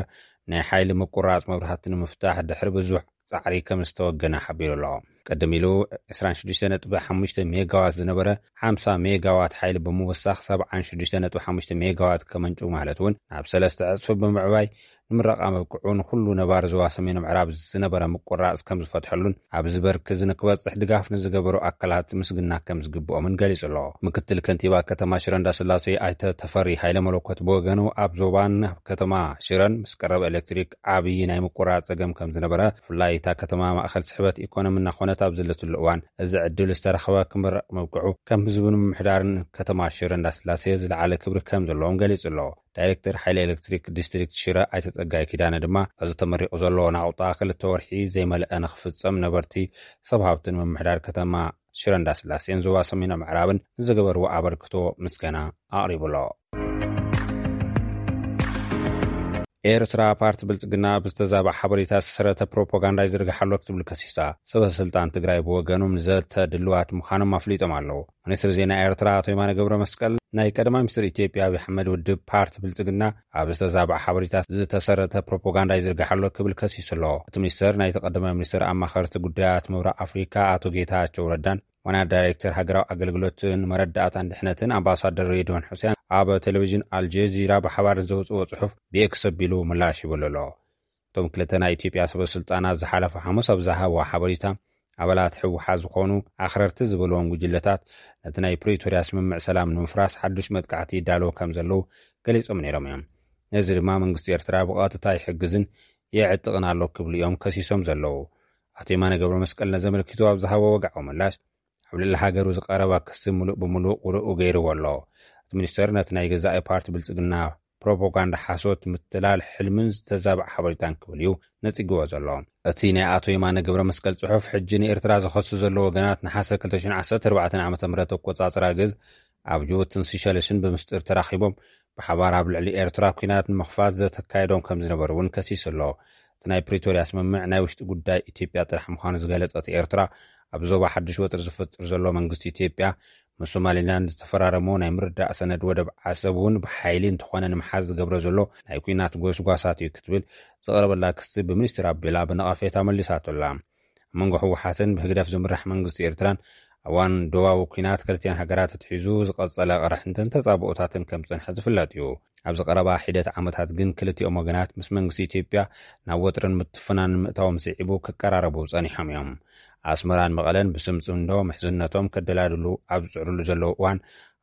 ናይ ሓይሊ ምቁራጽ መብራህቲ ንምፍታሕ ድሕሪ ብዙሕ ጻዕሪ ከም ዝተወገነ ሓቢሩ ኣሎ። ቅድም ኢሉ ዕስራን ሽዱሽተ ነጥቢ ሓሙሽተ ሜጋዋት ዝነበረ ሓምሳ ሜጋዋት ሓይሊ ብምውሳኽ ሰብዓን ሽዱሽተ ነጥቢ ሓሙሽተ ሜጋዋት ከመንጩ ማለት እውን ናብ ሰለስተ ዕጽፊ ብምዕባይ ንምረቓ ምብቅዑ ንኹሉ ነባሪ ዞባ ሰሜን ምዕራብ ዝነበረ ምቁራጽ ከም ዝፈትሐሉን ኣብዚ በርኪ እዚ ንክበጽሕ ድጋፍ ንዝገበሩ ኣካላት ምስግና ከም ዝግብኦምን ገሊጹ ኣሎ። ምክትል ከንቲባ ከተማ ሽረ እንዳስላሴ ኣይተ ተፈሪ ሃይለ መለኮት ብወገኑ ኣብ ዞባን ኣብ ከተማ ሽረን ምስ ቀረብ ኤሌክትሪክ ዓብዪ ናይ ምቁራጽ ጸገም ከም ዝነበረ፣ ብፍላይ እታ ከተማ ማእኸል ስሕበት ኢኮኖሚ እናኾነት ኣብ ዘለትሉ እዋን እዚ ዕድል ዝተረኸበ ክምረቕ ምብቅዑ ከም ህዝብን ምምሕዳርን ከተማ ሽረ እንዳስላሴ ዝለዓለ ክብሪ ከም ዘለዎም ገሊጹ ኣሎ። ዳይሬክተር ሓይሊ ኤሌክትሪክ ዲስትሪክት ሽረ ኣይተ ጸጋይ ኪዳነ ድማ፣ እዚ ተመሪቑ ዘሎ ናቑጣ ክልተ ወርሒ ዘይመልአ ንክፍጸም ነበርቲ፣ ሰብ ሃብትን ምምሕዳር ከተማ ሽረ እንዳስላሴን ዞባ ሰሜን ምዕራብን ንዝገበርዎ ኣበርክቶ ምስጋና ኣቕሪቡ ኣሎ። ኤርትራ ፓርቲ ብልጽግና ብዝተዛብዐ ሓበሬታ ዝተሰረተ ፕሮፓጋንዳ ይዝርግሕ ኣሎ ክትብል ከሲሳ። ሰበ ስልጣን ትግራይ ብወገኖም ንዘተ ድልዋት ምዃኖም ኣፍሊጦም ኣለዉ። ሚኒስትሪ ዜና ኤርትራ ኣቶ የማነ ገብረ መስቀል ናይ ቀዳማይ ሚኒስትር ኢትዮጵያ ኣብይ ኣሕመድ ውድብ ፓርቲ ብልጽግና ኣብ ዝተዛብዐ ሓበሬታ ዝተሰረተ ፕሮፓጋንዳ ይዝርግሕ ኣሎ ክብል ከሲሱ ኣሎ። እቲ ሚኒስትር ናይቲ ቀዳማይ ሚኒስትር ኣማኸርቲ ጉዳያት ምብራቕ ኣፍሪካ ኣቶ ጌታቸው ረዳን ዋና ዳይሬክተር ሃገራዊ ኣገልግሎትን መረዳእታን ድሕነትን ኣምባሳደር ሬድዋን ሑሴን ኣብ ቴሌቪዥን ኣልጀዚራ ብሓባር ንዘውፅዎ ጽሑፍ ብኤክስ ኣቢሉ ምላሽ ይብሉ ኣሎ። እቶም ክልተ ናይ ኢትዮጵያ ሰበ ስልጣናት ዝሓለፈ ሓሙስ ኣብ ዝሃብዎ ሓበሬታ፣ ኣባላት ህወሓት ዝኾኑ ኣኽረርቲ ዝበልዎም ጉጅለታት ነቲ ናይ ፕሪቶርያ ስምምዕ ሰላም ንምፍራስ ሓዱሽ መጥቃዕቲ ይዳለዉ ከም ዘለዉ ገሊጾም ነይሮም እዮም። ነዚ ድማ መንግስቲ ኤርትራ ብቐጥታ ይሕግዝን የዕጥቕን ኣሎ ክብሉ እዮም ከሲሶም ዘለዉ። ኣቶ የማነ ገብረ መስቀል ነዚ ኣመልኪቱ ኣብ ዝሃቦ ወግዓዊ ምላሽ፣ ኣብ ልዕሊ ሃገሩ ዝቐረበ ክሲ ምሉእ ብምሉእ ውድኡ ገይርዎ ኣሎ። እቲ ሚኒስተር ነቲ ናይ ገዛኢ ፓርቲ ብልጽግና ፕሮፓጋንዳ ሓሶት ምትላል ሕልምን ዝተዛብዐ ሓበሬታን ክብል እዩ ነጺግዎ ዘሎ። እቲ ናይ ኣቶ የማነ ገብረ መስቀል ጽሑፍ፣ ሕጂ ንኤርትራ ዝኸሱ ዘለዉ ወገናት ነሓሰ ክልተ ሽሕን ዓሰርተ ኣርባዕተን ዓመተ ምህረት ኣቆጻጽራ ግዝ ኣብ ጅቡትን ሲሸልስን ብምስጢር ተራኺቦም ብሓባር ኣብ ልዕሊ ኤርትራ ኲናት ንምኽፋት ዘተካየዶም ከም ዝነበሩ እውን ከሲሱ ኣሎ። እቲ ናይ ፕሪቶርያ ስምምዕ ናይ ውሽጢ ጉዳይ ኢትዮጵያ ጥራሕ ምዃኑ ዝገለጸት ኤርትራ፣ ኣብ ዞባ ሓድሽ ወጥሪ ዝፈጥር ዘሎ መንግስቲ ኢትዮጵያ ምስ ሶማሊላንድ ዝተፈራረሞ ናይ ምርዳእ ሰነድ ወደብ ዓሰብ እውን ብሓይሊ እንተኾነ ንምሓዝ ዝገብሮ ዘሎ ናይ ኲናት ጎስጓሳት እዩ ክትብል ዝቐረበላ ክሲ ብሚኒስትር ኣቢላ ብነቐፌታ መሊሳቶ ኣላ። ኣብ መንጎ ህወሓትን ብህግደፍ ዝምራሕ መንግስቲ ኤርትራን ኣብ እዋን ዶባዊ ኲናት ክልቲኣን ሃገራት ኣትሒዙ ዝቐጸለ ቅርሕንትን ተጻብኦታትን ከም ዝጸንሐ ዝፍለጥ እዩ። ኣብዚ ቀረባ ሒደት ዓመታት ግን ክልቲኦም ወገናት ምስ መንግስቲ ኢትዮጵያ ናብ ወጥርን ምትፍናንን ምእታዎም ስዒቡ ክቀራረቡ ጸኒሖም እዮም። ኣስመራን መቐለን ብስም ጽምዶ ምሕዝነቶም ከደላድሉ ኣብ ዝጽዕሩሉ ዘለዉ እዋን፣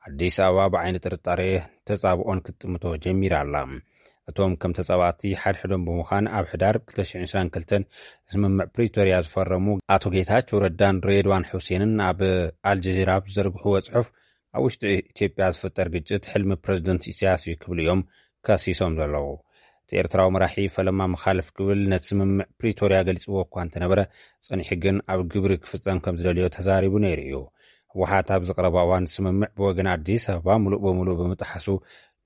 ኣዲስ ኣበባ ብዓይኒ ጥርጣሬ ተጻብኦን ክትጥምቶ ጀሚራ ኣላ። እቶም ከም ተጻባእቲ ሓድሕዶም ብምዃን ኣብ ሕዳር ክልተ ሽሕን ዕስራን ክልተን ስምምዕ ፕሪቶርያ ዝፈረሙ ኣቶ ጌታቸው ረዳን ሬድዋን ሑሴንን ኣብ ኣልጀዚራ ኣብ ዝዘርግሕዎ ጽሑፍ፣ ኣብ ውሽጢ ኢትዮጵያ ዝፍጠር ግጭት ሕልሚ ፕረዚደንት ኢሳያስ እዩ ክብሉ እዮም ከሲሶም ዘለዉ። እቲ ኤርትራዊ መራሒ ፈለማ መኻልፍ ክብል ነቲ ስምምዕ ፕሪቶርያ ገሊጽዎ እኳ እንተነበረ፣ ጸኒሑ ግን ኣብ ግብሪ ክፍጸም ከም ዝደልዮ ተዛሪቡ ነይሩ እዩ። ህወሓት ኣብ ዝቐረባ እዋን ስምምዕ ብወገን ኣዲስ ኣበባ ምሉእ ብምሉእ ብምጥሓሱ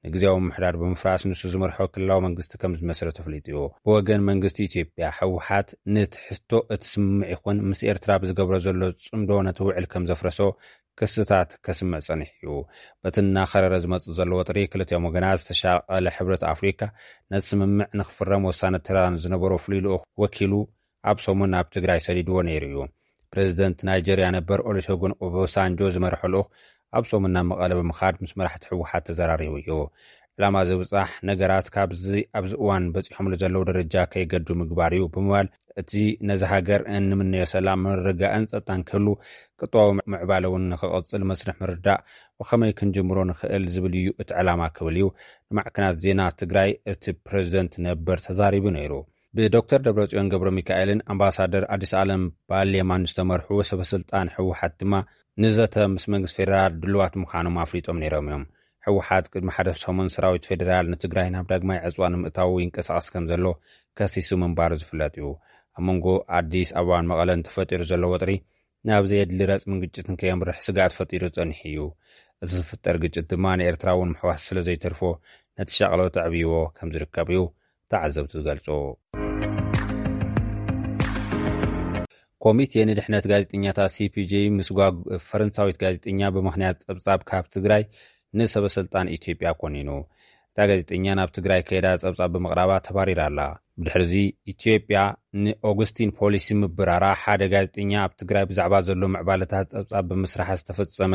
ንግዜያዊ ምምሕዳር ብምፍራስ ንሱ ዝመርሖ ክልላዊ መንግስቲ ከም ዝመስረት ተፍሊጡ እዩ። ብወገን መንግስቲ ኢትዮጵያ፣ ህወሓት ንትሕዝቶ እቲ ስምምዕ ይኹን ምስ ኤርትራ ብዝገብሮ ዘሎ ጽምዶ ነቲ ውዕል ከም ዘፍረሶ ክስታት ከስምዕ ጸኒሑ እዩ። በቲ እናኸረረ ዝመጽእ ዘሎ ወጥሪ፣ ክልቲኦም ወገናት ዝተሻቐለ ሕብረት ኣፍሪካ ነቲ ስምምዕ ንክፍረም ወሳኒ ተራ ዝነበሮ ፍሉይ ልኡኽ ወኪሉ ኣብ ሰሙን ናብ ትግራይ ሰዲድዎ ነይሩ እዩ። ፕሬዚደንት ናይጀርያ ነበር ኦሉሴጉን ኦባሳንጆ ዝመርሖ ልኡኽ ኣብ ሰሙን ናብ መቐለ ብምኻድ ምስ መራሕቲ ህወሓት ተዘራሪቡ እዩ። ዕላማ ዝብጻሕ ነገራት ካብዚ ኣብዚ እዋን በጺሖምሉ ዘለዉ ደረጃ ከይገዱ ምግባር እዩ ብምባል፣ እቲ ነዚ ሃገር እንምነዮ ሰላም፣ ምርግጋእን ጸጥታን ክህሉ፣ ቅጥባዊ ምዕባለ እውን ንክቕጽል መስርሕ ምርዳእ ብኸመይ ክንጅምሮ ንኽእል ዝብል እዩ እቲ ዕላማ ክብል እዩ ንማዕከናት ዜና ትግራይ እቲ ፕሬዚደንት ነበር ተዛሪቡ ነይሩ። ብዶክተር ደብረጽዮን ገብረ ሚካኤልን ኣምባሳደር ኣዲስ ኣለም ባሌማን ዝተመርሑ ሰበ ስልጣን ህወሓት ድማ ንዘተ ምስ መንግስቲ ፌደራል ድልዋት ምዃኖም ኣፍሊጦም ነይሮም እዮም። ህወሓት ቅድሚ ሓደ ሰሙን ሰራዊት ፌደራል ንትግራይ ናብ ዳግማይ ዕጽዋ ንምእታው ይንቀሳቐስ ከም ዘሎ ከሲሱ ምንባሩ ዝፍለጥ እዩ። ኣብ መንጎ ኣዲስ ኣበባን መቐለን ተፈጢሩ ዘሎ ወጥሪ ናብ ዘየድሊ ረጽምን ግጭትን ከየምርሕ ስግኣት ፈጢሩ ጸኒሑ እዩ። እቲ ዝፍጠር ግጭት ድማ ንኤርትራ እውን ምሕዋስ ስለ ዘይተርፎ ነቲ ሻቕሎት ኣዕብይዎ ከም ዝርከብ እዩ ተዓዘብቲ ዝገልጹ። ኮሚቴ ንድሕነት ጋዜጠኛታት፣ ሲ ፒ ጂ፣ ምስጓግ ፈረንሳዊት ጋዜጠኛ ብምኽንያት ጸብጻብ ካብ ትግራይ ንሰበ ስልጣን ኢትዮጵያ ኮኒኑ። እታ ጋዜጠኛ ናብ ትግራይ ከይዳ ጸብጻብ ብምቕራባ ተባሪራ ኣላ። ብድሕርዚ ኢትዮጵያ ንኦገስቲን ፖሊሲ ምብራራ፣ ሓደ ጋዜጠኛ ኣብ ትግራይ ብዛዕባ ዘሎ ምዕባለታት ጸብጻብ ብምስራሕ ዝተፈጸመ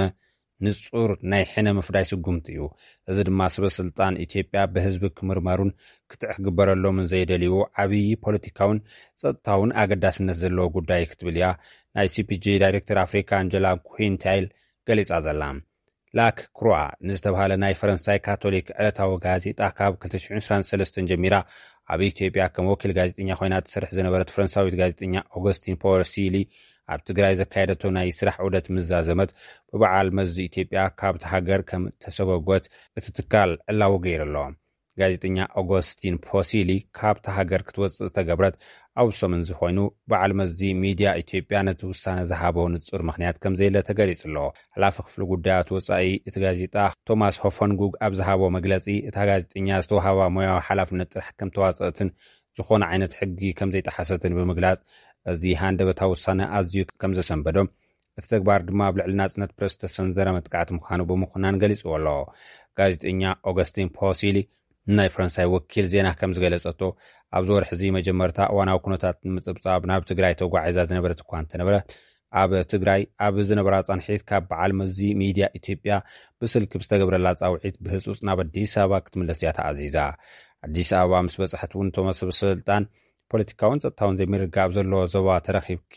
ንጹር ናይ ሕነ ምፍዳይ ስጉምቲ እዩ። እዚ ድማ ስበ ስልጣን ኢትዮጵያ ብህዝቢ ክምርመሩን ክትዕ ክግበረሎምን ዘይደልይዎ ዓብዪ ፖለቲካውን ጸጥታውን ኣገዳስነት ዘለዎ ጉዳይ ክትብል እያ ናይ ሲ ፒ ጂ ዳይሬክተር ኣፍሪካ ኣንጀላ ኩንታይል ገሊጻ ዘላ። ላክ ክሩዋ ንዝተባሃለ ናይ ፈረንሳይ ካቶሊክ ዕለታዊ ጋዜጣ ካብ ክልተ ሽሕን ዕስራን ሰለስተን ጀሚራ ኣብ ኢትዮጵያ ከም ወኪል ጋዜጠኛ ኮይና ትሰርሕ ዝነበረት ፈረንሳዊት ጋዜጠኛ ኦገስቲን ፖሲሊ ኣብ ትግራይ ዘካየደቶ ናይ ስራሕ ዑደት ምስ ዛዘመት፣ ብበዓል መዚ ኢትዮጵያ ካብቲ ሃገር ከም ተሰጎጎት እቲ ትካል ዕላዊ ገይሩ ኣሎ። ጋዜጠኛ ኦገስቲን ፖሲሊ ካብታ ሃገር ክትወጽእ ዝተገብረት ኣብ ሰሙን እዚ ኮይኑ፣ በዓል መዚ ሚድያ ኢትዮጵያ ነቲ ውሳነ ዝሃቦ ንጹር ምኽንያት ከም ዘየለ ተገሊጹ ኣሎ። ሓላፊ ክፍሊ ጉዳያት ወጻኢ እቲ ጋዜጣ ቶማስ ሆፈንጉግ ኣብ ዝሃቦ መግለጺ፣ እታ ጋዜጠኛ ዝተዋህባ ሞያዊ ሓላፍነት ጥራሕ ከም ተዋጸእትን ዝኾነ ዓይነት ሕጊ ከም ዘይጠሓሰትን ብምግላጽ፣ እዚ ሃንደበታዊ ውሳነ ኣዝዩ ከም ዘሰንበዶ፣ እቲ ተግባር ድማ ኣብ ልዕሊ ናጽነት ፕረስ ዝተሰንዘረ መጥቃዕቲ ምዃኑ ብምኹናን ገሊጽዎ ኣሎ። ጋዜጠኛ ኦገስቲን ፖሲሊ ናይ ፈረንሳይ ወኪል ዜና ከም ዝገለጸቶ፣ ኣብዚ ወርሒ እዚ መጀመርታ እዋናዊ ኩነታት ንምጽብጻብ ናብ ትግራይ ተጓዒዛ ዝነበረት እኳ እንተነበረት፣ ኣብ ትግራይ ኣብ ዝነበራ ጻንሒት ካብ በዓል መዚ ሚድያ ኢትዮጵያ ብስልኪ ብዝተገብረላ ጻውዒት ብህጹጽ ናብ ኣዲስ ኣበባ ክትምለስ እያ ተኣዚዛ። ኣዲስ ኣበባ ምስ በጻሕት እውን እቶም ሰበ ስልጣን ፖለቲካውን ጸጥታውን ዘይምርግጋእ ኣብ ዘለዎ ዞባ ተረኺብኪ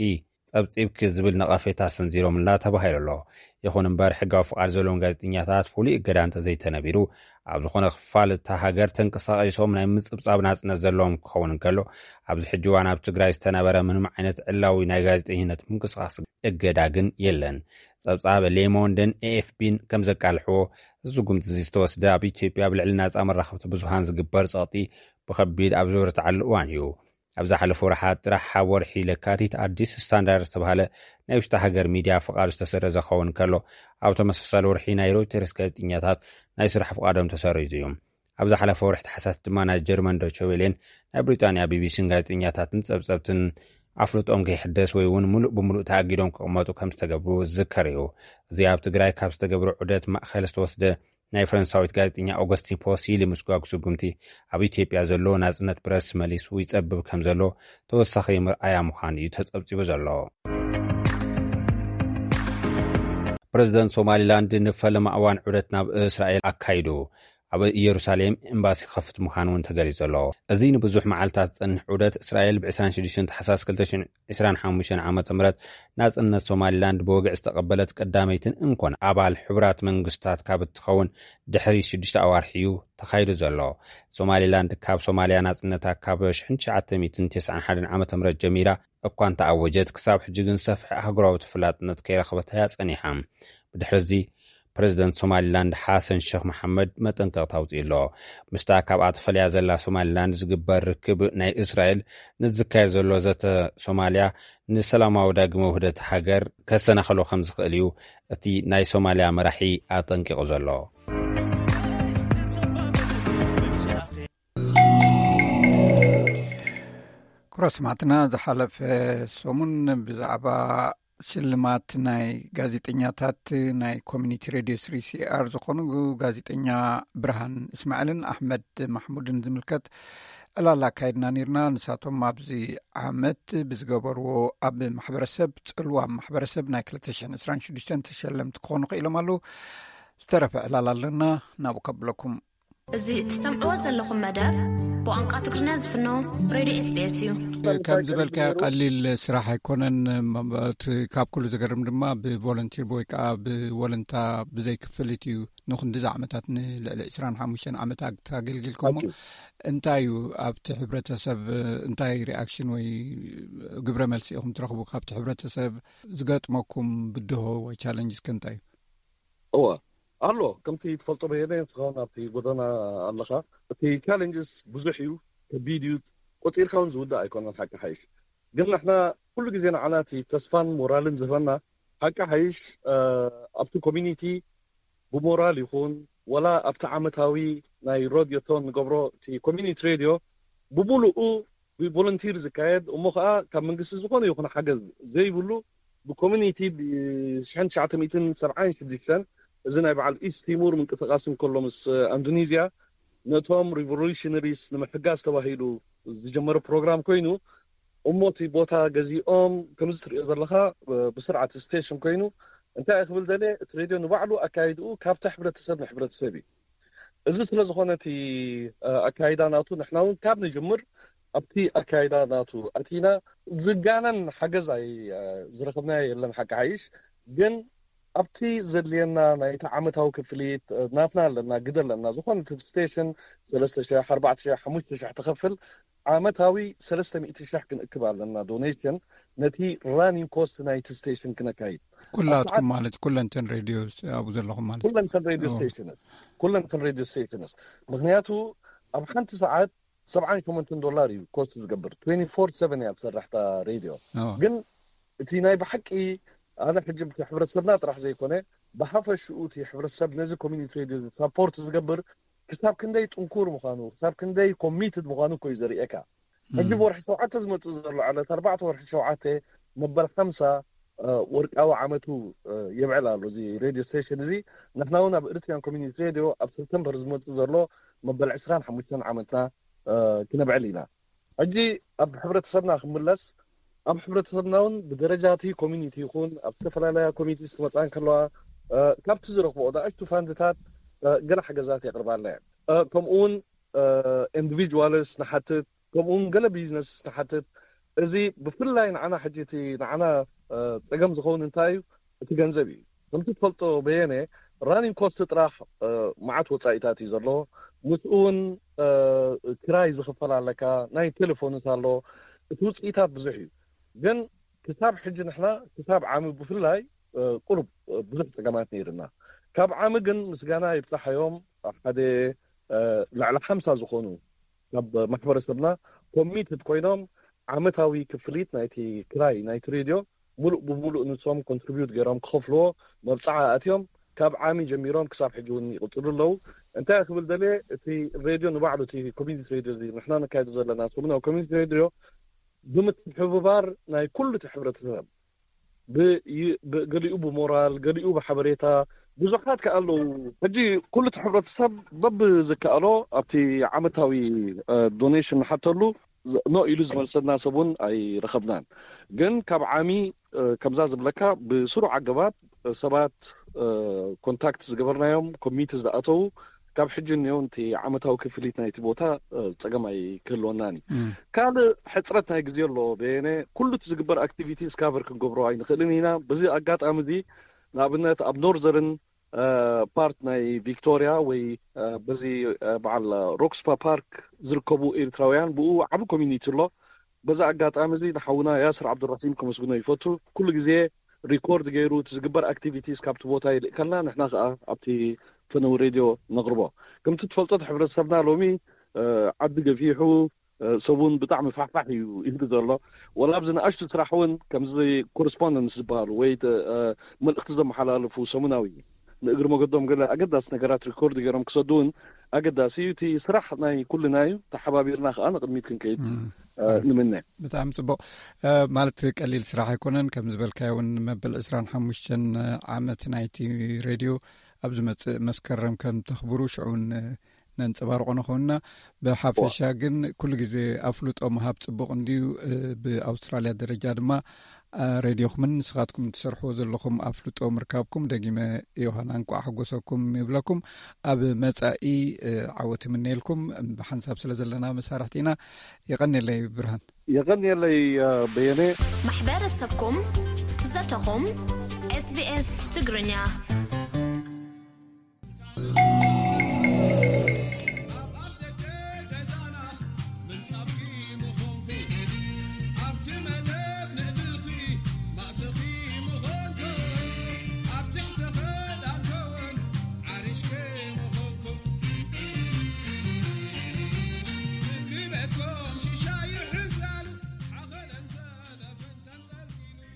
ጸብጺብኪ ዝብል ነቐፌታ ሰንዚሮምላ ተባሂሉ ኣሎ። ይኹን እምበር፣ ሕጋዊ ፍቓድ ዘለዎም ጋዜጠኛታት ፍሉይ እገዳ እንተዘይተነቢሩ፣ ኣብ ዝኾነ ክፋል እታ ሃገር ተንቀሳቒሶም ናይ ምጽብጻብ ናጽነት ዘለዎም ክኸውን እንከሎ፣ ኣብዚ ሕጂ እዋን ኣብ ትግራይ ዝተነበረ ምንም ዓይነት ዕላዊ ናይ ጋዜጠኝነት ምንቅስቓስ እገዳ ግን የለን። ጸብጻብ ሌሞንድን ኤ ኤፍ ፒን ከም ዘቃልሕዎ፣ እዚ ስጉምቲ እዚ ዝተወስደ ኣብ ኢትዮጵያ ኣብ ልዕሊ ናጻ መራኸብቲ ብዙሃን ዝግበር ጸቕጢ ብኸቢድ ኣብ ዝበረትዓሉ እዋን እዩ። ኣብ ዝሓለፈ ወርሓት ጥራሕ፣ ኣብ ወርሒ ለካቲት፣ ኣዲስ ስታንዳርድ ዝተባህለ ናይ ውሽጢ ሃገር ሚድያ ፍቓዱ ዝተሰረዘ ክኸውን ከሎ፣ ኣብ ተመሳሳሊ ወርሒ ናይ ሮይተርስ ጋዜጠኛታት ናይ ስራሕ ፍቓዶም ተሰሪዙ እዩ። ኣብ ዝሓለፈ ወርሒ ታሕሳስ ድማ ናይ ጀርመን ዶቸ ዌሌን ናይ ብሪጣንያ ቢ ቢ ሲን ጋዜጠኛታትን ጸብጸብትን ኣፍልጦም ከይሕደስ ወይ እውን ምሉእ ብምሉእ ተኣጊዶም ክቕመጡ ከም ዝተገብሩ ዝዝከር እዩ። እዚ ኣብ ትግራይ ካብ ዝተገብረ ዑደት ማእኸል ዝተወስደ ናይ ፈረንሳዊት ጋዜጠኛ ኦገስቲን ፖሲሊ ምስጓግ ስጉምቲ፣ ኣብ ኢትዮጵያ ዘሎ ናጽነት ፕረስ መሊሱ ይጸብብ ከም ዘሎ ተወሳኺ መርኣያ ምዃኑ እዩ ተጸብጺቡ ዘሎ። ፕረዚደንት ሶማሊላንድ ንፈለማ እዋን ዑደት ናብ እስራኤል ኣካይዱ። ኣብ ኢየሩሳሌም ኤምባሲ ክኸፍት ምዃኑ እውን ተገሊጹ ኣሎ። እዚ ንብዙሕ መዓልታት ዝጸንሕ ዑደት እስራኤል ብ ዕስራን ሽዱሽተን ታሕሳስ ክልተ ሽሕን ዕስራን ሓሙሽተን ዓመተ ምህረት ናጽነት ሶማሊላንድ ብወግዒ ዝተቐበለት ቀዳመይትን እንኮን ኣባል ሕቡራት መንግስታት ካብ እትኸውን ድሕሪ ሽዱሽተ ኣዋርሒ እዩ ተኻይዱ ዘሎ። ሶማሊላንድ ካብ ሶማልያ ናጽነታ ካብ ሽሕን ትሽዓተ ሚእትን ተስዓን ሓደን ዓመተ ምህረት ጀሚራ እኳ እንተኣወጀት፣ ክሳብ ሕጂ ግን ሰፍሒ ኣህጉራዊ ተፈላጥነት ከይረኸበት እያ ጸኒሓ። ብድሕሪ እዚ፣ ፕረዚደንት ሶማሊላንድ ሓሰን ሸኽ መሓመድ መጠንቀቕታ ኣውጺኡ ኣሎ። ምስታ ካብኣ ተፈልያ ዘላ ሶማሊላንድ ዝግበር ርክብ ናይ እስራኤል፣ ንዝካየድ ዘሎ ዘተ ሶማልያ ንሰላማዊ ዳግመ ውህደት ሃገር ከሰናኽሎ ከም ዝኽእል እዩ እቲ ናይ ሶማልያ መራሒ ኣጠንቂቑ ዘሎ። ክቡራት ሰማዕትና፣ ዝሓለፈ ሰሙን ብዛዕባ ሽልማት ናይ ጋዜጠኛታት ናይ ኮሚኒቲ ሬድዮ ስሪ ሲ ኣር ዝኾኑ ጋዜጠኛ ብርሃን እስማዕልን ኣሕመድ ማሕሙድን ዝምልከት ዕላል ኣካይድና ነይርና። ንሳቶም ኣብዚ ዓመት ብዝገበርዎ ኣብ ማሕበረሰብ፣ ጽልዋ ኣብ ማሕበረሰብ ናይ ክልተ ሽሕን ዕስራን ሽዱሽተን ተሸለምቲ ክኾኑ ክኢሎም ኣለዉ። ዝተረፈ ዕላል ኣለና፣ ናብኡ ከብለኩም። እዚ እትሰምዕዎ ዘለኹም መደብ ብቋንቋ ትግርኛ ዝፍኖ ሬድዮ ኤስ ቢ ኤስ እዩ። ከም ዝበልካዮ ቀሊል ስራሕ ኣይኮነን። እቲ ካብ ኩሉ ዘገርም ድማ ብቮለንቲር ወይ ከዓ ብወለንታ ብዘይ ክፍሊት እዩ ንክንድዚ ዓመታት፣ ንልዕሊ ዕስራን ሓሙሽተን ዓመታት ኣገልጊልኩሞ። ኣኪ። እንታይ እዩ ኣብቲ ሕብረተሰብ፣ እንታይ ሪኣክሽን ወይ ግብረ መልሲ ኢኹም ትረኽቡ ካብቲ ሕብረተሰብ? ዝገጥመኩም ብድሆ ወይ ቻለንጅ እስከ እንታይ እዩ? እወ፣ ኣሎ። ከምቲ ትፈልጦ በየነ፣ ንስኻ እውን ኣብቲ ጎደና ኣለኻ። እቲ ቻለንጅስ ብዙሕ እዩ፣ ከቢድ እዩ። ቆጺርካ እውን ዝውዳእ ኣይኮነን፣ ሓቂ ሓይሽ። ግን ንሕና ኩሉ ግዜ ንዓና እቲ ተስፋን ሞራልን ዝህበና፣ ሓቂ ሓይሽ፣ እ፣ ኣብቲ ኮሚኒቲ ብሞራል ይኹን፣ ወላ ኣብቲ ዓመታዊ ናይ ሮድዮቶን ንገብሮ፣ እቲ ኮሚኒቲ ሬድዮ ብምሉኡ ብቮለንቲር ዝካየድ፣ እሞ ከዓ ካብ መንግስቲ ዝኾነ ይኹን ሓገዝ ዘይብሉ፣ ብኮሚኒቲ ብ1976፣ እዚ ናይ በዓል ኢስት ቲሙር ምንቅስቃስ እንከሎ ምስ ኣንዶኔዝያ፣ ነቶም ሪቮሉሽነሪስ ንምሕጋዝ ተባሂሉ ዝጀመረ ፕሮግራም ኮይኑ፣ እሞ እቲ ቦታ ገዚኦም፣ ከምዚ ትሪኦ ዘለኻ፣ ብስርዓት ስቴሽን ኮይኑ፣ እንታይ ክብል ደለ፣ እቲ ሬድዮ ንባዕሉ ኣካይድኡ ካብቲ ሕብረተሰብ ንሕብረተሰብ እዩ። እዚ ስለ ዝኾነ እቲ ኣካይዳ ናቱ፣ ንሕና እውን ካብ ንጅምር ኣብቲ ኣካይዳ ናቱ ኣቲና። ዝጋነን ሓገዝ ኣይ ዝረኸብናዮ የለን፣ ሓቂ ሓይሽ። ግን ኣብቲ ዘድልየና ናይቲ ዓመታዊ ክፍሊት፣ ናትና ኣለና፣ ግደ ኣለና። ዝኾነ እቲ ስቴሽን 3,000፣ 4,000፣ 5,000 ትኸፍል፣ ዓመታዊ 300,000 ክንእክብ ኣለና ዶኔሽን፣ ነቲ ራኒንግ ኮስት ናይቲ ስቴሽን ክነካይድ። ኩላትኩም ማለት ኩለንተን ሬድዮ ኣብኡ ዘለኹም ማለት ኩለንተን ሬድዮ ስቴሽንስ፣ ኩለንተን ሬድዮ ስቴሽንስ። ምክንያቱ ኣብ ሓንቲ ሰዓት 78 ዶላር እዩ ኮስት ዝገብር። 24/7 እያ ትሰርሕ እታ ሬድዮ። ግን እቲ ናይ ብሓቂ፣ ኣነ ሕጂ ብቲ ሕብረተሰብና ጥራሕ ዘይኮነ፣ ብሓፈሽኡ እቲ ሕብረተሰብ ነዚ ኮሚኒቲ ሬድዮ ሳፖርት ዝገብር ክሳብ ክንደይ ጥንኩር ምዃኑ፣ ክሳብ ክንደይ ኮሚትድ ምዃኑ እኮ እዩ ዘርእየካ። ሕጂ ብወርሒ ሸውዓተ ዝመጽእ ዘሎ ዕለት ኣርባዕተ ወርሒ ሸውዓተ፣ መበል ሓምሳ ወርቃዊ ዓመቱ የብዕል ኣሎ እዚ ሬድዮ ስቴሽን እዚ። ንሕና እውን ኣብ ኤርትራን ኮሚኒቲ ሬድዮ ኣብ ሰፕተምበር ዝመጽእ ዘሎ መበል ዕስራን ሓሙሽተን ዓመትና ክነብዕል ኢና። ሕጂ ኣብ ሕብረተሰብና ክምለስ፣ ኣብ ሕብረተሰብና እውን ብደረጃ እቲ ኮሚኒቲ ይኹን ኣብ ዝተፈላለያ ኮሚኒቲ ክመፃ እንከለዋ፣ ካብቲ ዝረኽቦ ንኣሽቱ ፋንድታት ገለ ሓገዛት የቕርባልና እየን። ከምኡውን ኢንዲቪጁዋልስ ንሓትት፣ ከምኡውን ገለ ቢዝነስ ንሓትት። እዚ ብፍላይ ንዓና ሕጂ እቲ ንዓና ፀገም ዝኸውን እንታይ እዩ? እቲ ገንዘብ እዩ። ከምቲ ትፈልጦ በየነ፣ ራኒንግ ኮስት ጥራሕ መዓት ወፃኢታት እዩ ዘለዎ። ምስኡ እውን ክራይ ዝኽፈል ኣለካ፣ ናይ ቴሌፎንት ኣሎ። እቲ ውፅኢታት ብዙሕ እዩ። ግን ክሳብ ሕጂ ንሕና ክሳብ ዓሚ ብፍላይ ቁሩብ ብዙሕ ፀገማት ነይርና። ካብ ዓሚ ግን ምስጋና ይብፃሓዮም ሓደ ልዕሊ ሓምሳ ዝኾኑ ካብ ማሕበረሰብና ኮሚትድ ኮይኖም ዓመታዊ ክፍሊት ናይቲ ክራይ ናይቲ ሬድዮ ሙሉእ ብሙሉእ ንሶም ኮንትሪቢዩት ገይሮም ክኸፍልዎ መብፅዓ ኣትዮም ካብ ዓሚ ጀሚሮም ክሳብ ሕጂ እውን ይቕፅሉ ኣለዉ። እንታይ ክብል ደልየ፣ እቲ ሬድዮ ንባዕሉ፣ እቲ ኮሚኒቲ ሬድዮ እዚ ንሕና ነካይዶ ዘለና ሰሙናዊ ኮሚኒቲ ሬድዮ ብምትሕብባር ናይ ኩሉ እቲ ሕብረተሰብ፣ ገሊኡ ብሞራል፣ ገሊኡ ብሓበሬታ፣ ብዙሓት ከ ኣለዉ። ሕጂ ኩሉ እቲ ሕብረተሰብ በብዝከኣሎ ኣብቲ ዓመታዊ ዶኔሽን ንሓተሉ፣ ኖ ኢሉ ዝመልሰልና ሰብ እውን ኣይረኸብናን። ግን ካብ ዓሚ ከምዛ ዝብለካ ብስሩዕ ኣገባብ ሰባት ኮንታክት ዝገበርናዮም ኮሚኒቲ ዝኣተዉ ካብ ሕጂ እኒኦ እቲ ዓመታዊ ክፍሊት ናይቲ ቦታ ፀገም ኣይክህልወናን እዩ። ካልእ ሕፅረት ናይ ግዜ ኣሎ። በየነ ኩሉ እቲ ዝግበር ኣክቲቪቲ ስካቨር ክንገብሮ ኣይንኽእልን ኢና። በዚ ኣጋጣሚ እዚ ንኣብነት ኣብ ኖርዘርን ፓርት ናይ ቪክቶሪያ ወይ በዚ በዓል ሮክስፓ ፓርክ ዝርከቡ ኤርትራውያን ብኡ ዓቢ ኮሚኒቲ ኣሎ። በዚ ኣጋጣሚ እዚ ንሓውና ያስር ዓብዱራሒም ከመስግኖ ይፈቱ። ኩሉ ግዜ ሪኮርድ ገይሩ እቲ ዝግበር ኣክቲቪቲስ ካብቲ ቦታ ይልእከልና፣ ንሕና ከዓ ኣብቲ ፈነው ሬድዮ ነቕርቦ። ከምቲ ትፈልጦ እቲ ሕብረተሰብና ሎሚ ዓዲ ገፊሑ፣ ሰቡን ብጣዕሚ ፋሕፋሕ እዩ ይህሉ ዘሎ። ወላ ኣብዚ ንኣሽቱ ስራሕ እውን ከምዚ ኮረስፖንደንስ ዝበሃሉ ወይ መልእክቲ ዘመሓላልፉ ሰሙናዊ ንእግሪ መገዶም ገለ ኣገዳሲ ነገራት ሪኮርድ ገይሮም ክሰዱ እውን ኣገዳሲ እዩ። እቲ ስራሕ ናይ ኩልና እዩ። ተሓባቢርና ከዓ ንቕድሚት ክንከይድ ንምነ። ብጣዕሚ ፅቡቅ። ማለት ቀሊል ስራሕ ኣይኮነን። ከም ዝበልካዮ እውን መበል ዕስራን ሓሙሽተን ዓመት ናይቲ ሬድዮ ኣብ ዝመፅእ መስከረም ከም ተኽብሩ ሽዑ እውን ነንፀባርቆ ንኸውንና። ብሓፈሻ ግን ኩሉ ግዜ ኣፍልጦ ምሃብ ፅቡቅ እንድዩ። ብኣውስትራልያ ደረጃ ድማ ሬድዮኹምን ንስኻትኩም ትሰርሕዎ ዘለኹም ኣፍልጦ ምርካብኩም ደጊመ ዮሃና እንቋዕ ሓጎሰኩም ይብለኩም። ኣብ መፃኢ ዓወት ይምነየልኩም። ብሓንሳብ ስለ ዘለና መሳርሕቲ ኢና። የቐንየለይ ብርሃን። የቐንየለይ በየነ። ማሕበረሰብኩም ዘተኹም SBS ትግርኛ።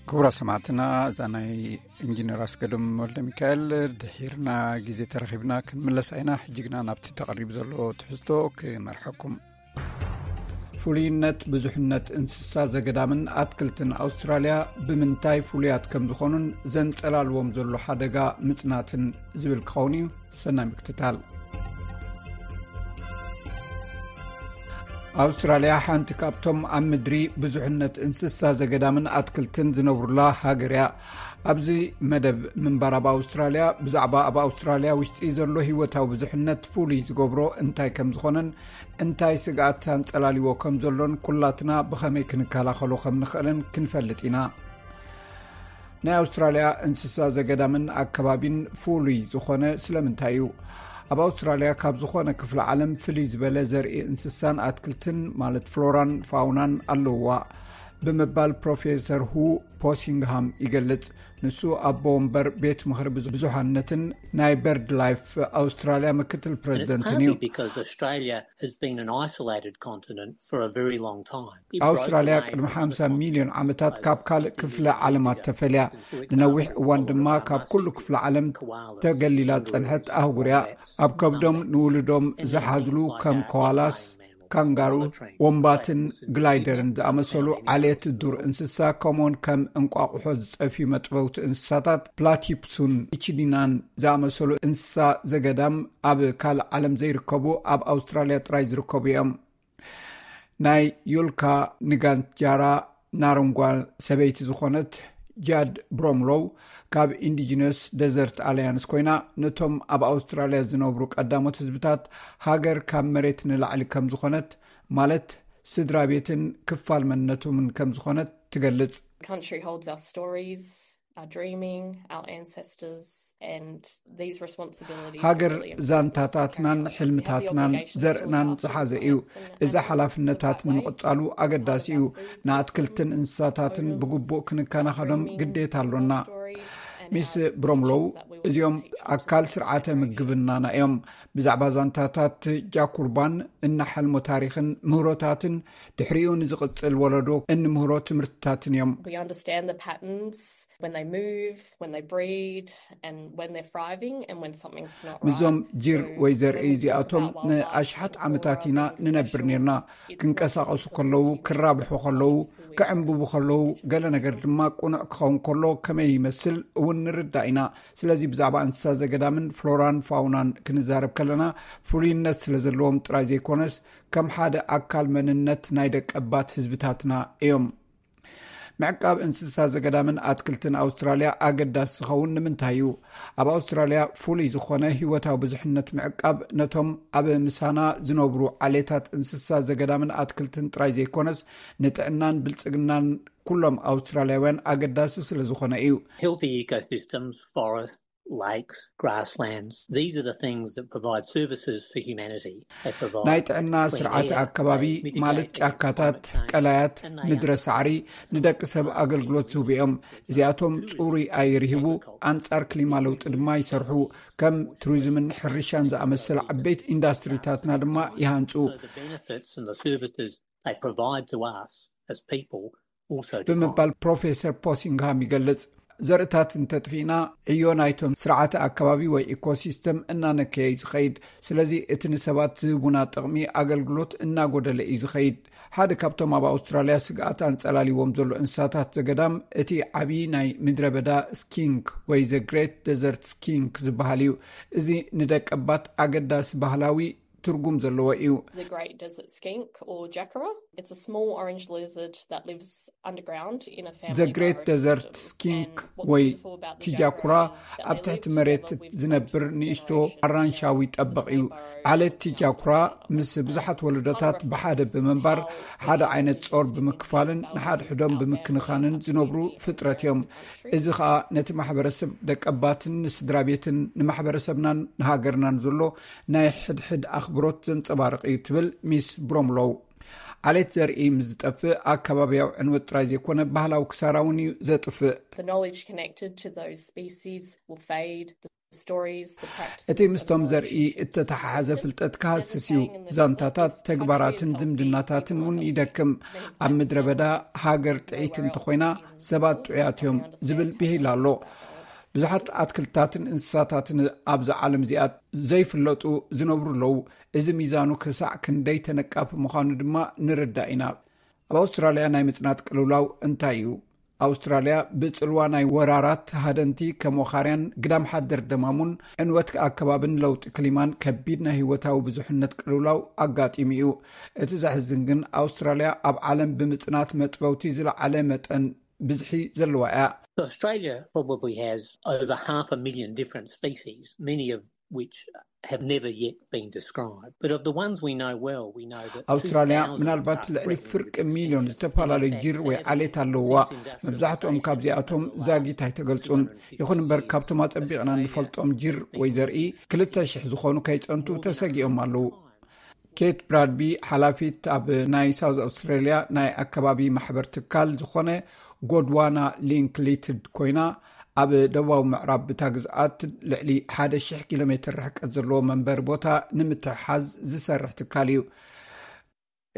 ክቡራት ሰማዕትና፣ እዛ ናይ ኢንጂነር ኣስገዶም ወልደ ሚካኤል ድሒርና ግዜ ተረኺብና ክንምለስ ኣይና። ሕጂ ግና ናብቲ ተቐሪቡ ዘሎ ትሕዝቶ ክመርሐኩም። ፍሉይነት ብዙሕነት እንስሳ ዘገዳምን ኣትክልትን ኣውስትራልያ ብምንታይ ፍሉያት ከም ዝኾኑን ዘንጸላልዎም ዘሎ ሓደጋ ምጽናትን ዝብል ክኸውን እዩ። ሰናይ ምክትታል። ኣውስትራልያ ሓንቲ ካብቶም ኣብ ምድሪ ብዙሕነት እንስሳ ዘገዳምን ኣትክልትን ዝነብሩላ ሃገር እያ። ኣብዚ መደብ ምንባር ኣብ ኣውስትራልያ ብዛዕባ ኣብ ኣውስትራልያ ውሽጢ ዘሎ ህይወታዊ ብዙሕነት ፍሉይ ዝገብሮ እንታይ ከም ዝኾነን እንታይ ስግኣት ኣንጸላልዎ ከም ዘሎን ኩላትና ብኸመይ ክንከላኸሎ ከም ንኽእልን ክንፈልጥ ኢና። ናይ ኣውስትራልያ እንስሳ ዘገዳምን ኣከባቢን ፍሉይ ዝኾነ ስለምንታይ እዩ? ኣብ ኣውስትራልያ ካብ ዝኾነ ክፍለ ዓለም ፍልይ ዝበለ ዘርኢ እንስሳን ኣትክልትን ማለት ፍሎራን ፋውናን ኣለውዋ ብምባል ፕሮፌሰር ሁ ፖሲንግሃም ይገልጽ። ንሱ ኣቦ ወንበር ቤት ምኽሪ ብዙ- ብዙሓነትን ናይ በርድ ላይፍ ኣውስትራልያ ምክትል ፕሬዚደንትን እዩ። Because Australia has been an isolated continent for a very long time. ኣውስትራልያ ቅድሚ ሓምሳ ሚልዮን ዓመታት ካብ ካልእ ክፍለ ዓለማት ተፈልያ፣ ንነዊሕ እዋን ድማ ካብ ኩሉ ክፍለ ዓለም ተገሊላ ዝጸንሐት ኣህጉር እያ። ኣብ ከብዶም ንውልዶም ዝሓዝሉ ከም ኮዋላስ፣ ካንጋሩ፣ ወንባትን ግላይደርን ዝኣመሰሉ ዓሌት ዱር እንስሳ፣ ከምኡውን ከም እንቋቑሖ ዝጸፍዩ መጥበውቲ እንስሳታት ፕላቲፕሱን ኢችዲናን ዝኣመሰሉ እንስሳ ዘገዳም ኣብ ካልእ ዓለም ዘይርከቡ ኣብ ኣውስትራልያ ጥራይ ዝርከቡ እዮም። ናይ ዩልካ ንጋንጃራ ናረንጓ ሰበይቲ ዝኾነት ጃድ ብሮምሎው ካብ ኢንዲጂነስ ደዘርት ኣሊያንስ ኮይና፣ ነቶም ኣብ ኣውስትራልያ ዝነብሩ ቀዳሞት ህዝብታት ሃገር ካብ መሬት ንላዕሊ ከም ዝኾነት፣ ማለት ስድራ ቤትን ክፋል መንነቶምን ከም ዝኾነት ትገልጽ። Country holds our stories, our dreaming, our ancestors, and these responsibilities ሃገር are really important. ዛንታታትናን ሕልምታትናን ዘርእናን ዝሓዘ እዩ። እዚ ሓላፍነታት ንምቕጻሉ ኣገዳሲ እዩ። ንኣትክልትን እንስሳታትን ብግቡእ ክንከናኸኖም ግዴታ ኣሎና። ሚስ ብሮምሎው፣ እዚኦም ኣካል ስርዓተ ምግብናና እዮም። ብዛዕባ ዛንታታት ጃኩርባን እናሓልሞ ታሪኽን ምህሮታትን ድሕሪኡ ንዝቕጽል ወለዶ እንምህሮ ትምህርትታትን እዮም። We understand the patterns when they move, when they breed, and when they're thriving, and when something's not right. ምዞም ጅር ወይ ዘርኢ እዚኣቶም ንኣሽሓት ዓመታት ኢና ንነብር ነርና። ክንቀሳቐሱ ከለዉ፣ ክራብሑ ከለዉ፣ ክዕንብቡ ከለዉ፣ ገለ ነገር ድማ ቁኑዕ ክኸውን ከሎ ከመይ ይመስል እውን ንርዳእ ኢና። ስለዚ ብዛዕባ እንስሳ ዘገዳምን ፍሎራን ፋውናን ክንዛረብ ከለና፣ ፍሉይነት ስለ ዘለዎም ጥራይ ዘይኮነስ ከም ሓደ ኣካል መንነት ናይ ደቀባት ህዝብታትና እዮም። ምዕቃብ እንስሳ ዘገዳምን ኣትክልትን ኣውስትራልያ ኣገዳሲ ዝኸውን ንምንታይ እዩ? ኣብ ኣውስትራልያ ፍሉይ ዝኾነ ህይወታዊ ብዙሕነት ምዕቃብ ነቶም ኣብ ምሳና ዝነብሩ ዓሌታት እንስሳ ዘገዳምን ኣትክልትን ጥራይ ዘይኮነስ ንጥዕናን ብልጽግናን ኩሎም ኣውስትራልያውያን ኣገዳሲ ስለ ዝኾነ እዩ። Healthy ecosystems, forests, lakes, grasslands, these are the things that provide services for humanity. They provide ናይ ጥዕና ስርዓት ኣከባቢ ማለት ጫካታት፣ ቀላያት፣ ምድረ ሳዕሪ ንደቂ ሰብ ኣገልግሎት ዝህቡ እዮም። እዚኣቶም ጽሩይ ኣየር ይህቡ፣ ኣንጻር ክሊማ ለውጢ ድማ ይሰርሑ። ከም ቱሪዝምን ሕርሻን ዝኣመሰሉ ዓበይቲ ኢንዳስትሪታትና ድማ ይሃንጹ። the benefits and the services they provide to us as people also decline. ብምባል ፕሮፌሰር ፖሲንግሃም ይገልጽ። ዘርእታት እንተጥፊእና ዕዮ ናይቶም ስርዓተ ኣከባቢ ወይ ኢኮሲስተም እናነከየ እዩ ዝኸይድ። ስለዚ እቲ ንሰባት ዝህቡና ጥቕሚ ኣገልግሎት እናጎደለ እዩ ዝኸይድ። ሓደ ካብቶም ኣብ ኣውስትራልያ ስግኣት ኣንጸላሊዎም ዘሎ እንስሳታት ዘገዳም እቲ ዓቢ ናይ ምድረ በዳ ስኪንክ ወይ ዘ ግሬት ደዘርት ስኪንክ ዝበሃል እዩ። እዚ ንደቀባት ኣገዳሲ ባህላዊ ትርጉም ዘለዎ እዩ። The Great Desert Skink or Jakura. It's a small orange lizard that lives underground in a family ዘ ግሬት forest. ደዘርት ስኪንክ ወይ ቲጃኩራ ኣብ ትሕቲ መሬት ዝነብር ንእሽቶ ኣራንሻዊ ጠበቕ እዩ። ዓለት ቲጃኩራ ምስ ብዙሓት ወለዶታት ብሓደ ብምንባር ሓደ ዓይነት ጾር ብምክፋልን ንሓድሕዶም ብምክንኻንን ዝነብሩ ፍጥረት እዮም። እዚ ኸኣ ነቲ ማሕበረሰብ ደቀባትን ንስድራ ቤትን ንማሕበረሰብናን ንሃገርናን ዘሎ ናይ ሕድሕድ ኣኽብሮት ዘንጸባርቕ እዩ ትብል ሚስ ብሮምሎው። ዓሌት ዘርኢ ምስ ዝጠፍእ ኣከባብያዊ ዕንወት ጥራይ ዘይኮነ ባህላዊ ክሳራ እውን እዩ ዘጥፍእ። The knowledge connected to those species will fade. The stories, the practices, እቲ ምስቶም ዘርኢ እተተሓሓዘ ፍልጠት ክሃስስ እዩ። ዛንታታት፣ ተግባራትን ዝምድናታትን እውን ይደክም። ኣብ ምድረ በዳ ሃገር ጥዒት እንተኾይና ሰባት ጥዑያት እዮም ዝብል ብሂል ኣሎ። ብዙሓት ኣትክልትታትን እንስሳታትን ኣብዚ ዓለም እዚኣ ዘይፍለጡ ዝነብሩ ኣለዉ። እዚ ሚዛኑ ክሳዕ ክንደይ ተነቃፊ ምዃኑ ድማ ንርዳእ ኢና። ኣብ ኣውስትራልያ ናይ ምጽናት ቅልውላው እንታይ እዩ? ኣውስትራልያ ብጽልዋ ናይ ወራራት ሃደንቲ ከም ወኻርያን ግዳም ሓደር ደማሙን ዕንወት ኣከባብን ለውጢ ክሊማን ከቢድ ናይ ህይወታዊ ብዙሕነት ቅልውላው ኣጋጢሙ እዩ። እቲ ዘሕዝን ግን ኣውስትራልያ ኣብ ዓለም ብምጽናት መጥበውቲ ዝለዓለ መጠን ብዝሒ ዘለዋ እያ። Australia probably has over half a million different species, many of which have never yet been described. But of the ones we know well, we know that ኣውስትራልያ ምናልባት ልዕሊ ፍርቂ ሚልዮን ዝተፈላለዩ ጅር ወይ ዓሌት ኣለዋ። መብዛሕትኦም ካብዚኣቶም ዛጊት ኣይተገልጹን። ይኹን እምበር ካብቶም ኣጸቢቕና ንፈልጦም ጅር ወይ ዘርኢ ክልተ ሽሕ ዝኾኑ ከይጸንቱ ተሰጊኦም ኣለዉ። ኬት ብራድቢ ሓላፊት ኣብ ናይ ሳውዝ ኣውስትራልያ ናይ ኣከባቢ ማሕበር ትካል ዝኾነ ጎድዋና ሊንክሊትድ ኮይና፣ ኣብ ደቡባዊ ምዕራብ ብታ ግዝኣት ልዕሊ ሓደ ሽሕ ኪሎ ሜትር ርሕቀት ዘለዎ መንበሪ ቦታ ንምትሕሓዝ ዝሰርሕ ትካል እዩ።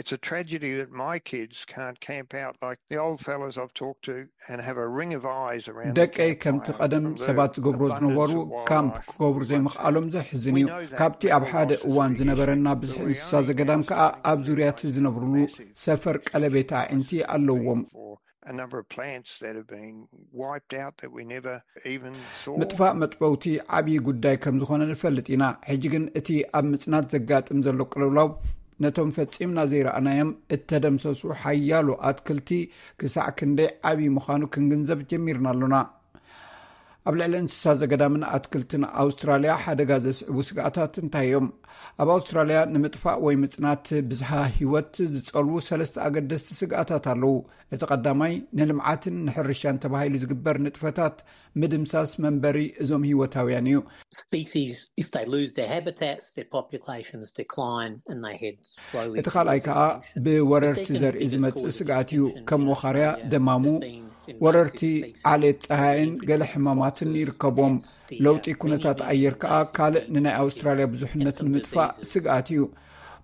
It's a tragedy that my kids can't camp out like the old fellas I've talked to and have a ring of eyes around. ደቀይ ከምቲ ቀደም ሰባት ዝገብሮ ዝነበሩ ካምፕ ክገብሩ ዘይምኽኣሎም ዘሕዝን እዩ። ካብቲ ኣብ ሓደ እዋን ዝነበረና ብዝሒ እንስሳ ዘገዳም ከኣ ኣብ ዙርያ እቲ ዝነብርሉ ሰፈር ቀለቤት ኣዒንቲ ኣለዎም። A number of plants that have been wiped out that we never even saw. ምጥፋእ መጥበውቲ ዓብዪ ጉዳይ ከም ዝኾነ ንፈልጥ ኢና። ሕጂ ግን እቲ ኣብ ምጽናት ዘጋጥም ዘሎ ቅልውላው ነቶም ፈጺምና ዘይረኣናዮም እተደምሰሱ ሓያሎ ኣትክልቲ ክሳዕ ክንደይ ዓብዪ ምዃኑ ክንግንዘብ ጀሚርና ኣሎና። ኣብ ልዕሊ እንስሳ ዘገዳምን ኣትክልትን ኣውስትራልያ ሓደጋ ዘስዕቡ ስግኣታት እንታይ እዮም? ኣብ ኣውስትራልያ ንምጥፋእ ወይ ምጽናት ብዝሃ ህይወት ዝጸልዉ ሰለስተ ኣገደስቲ ስግኣታት ኣለዉ። እቲ ቀዳማይ ንልምዓትን ንሕርሻን ተባሂሉ ዝግበር ንጥፈታት ምድምሳስ መንበሪ እዞም ህይወታውያን እዩ። Species, if they lose their habitats, their populations decline and they head slowly እቲ ካልኣይ ከዓ ብወረርቲ ዘርኢ ዝመጽእ ስግኣት እዩ። ከም ወኻርያ፣ ደማሙ፣ ወረርቲ ዓሌት ጸሃይን ገለ ሕማማትን ይርከቦም። ለውጢ ኩነታት ኣየር ከዓ ካልእ ንናይ ኣውስትራልያ ብዙሕነት ንምጥፋእ ስግኣት እዩ።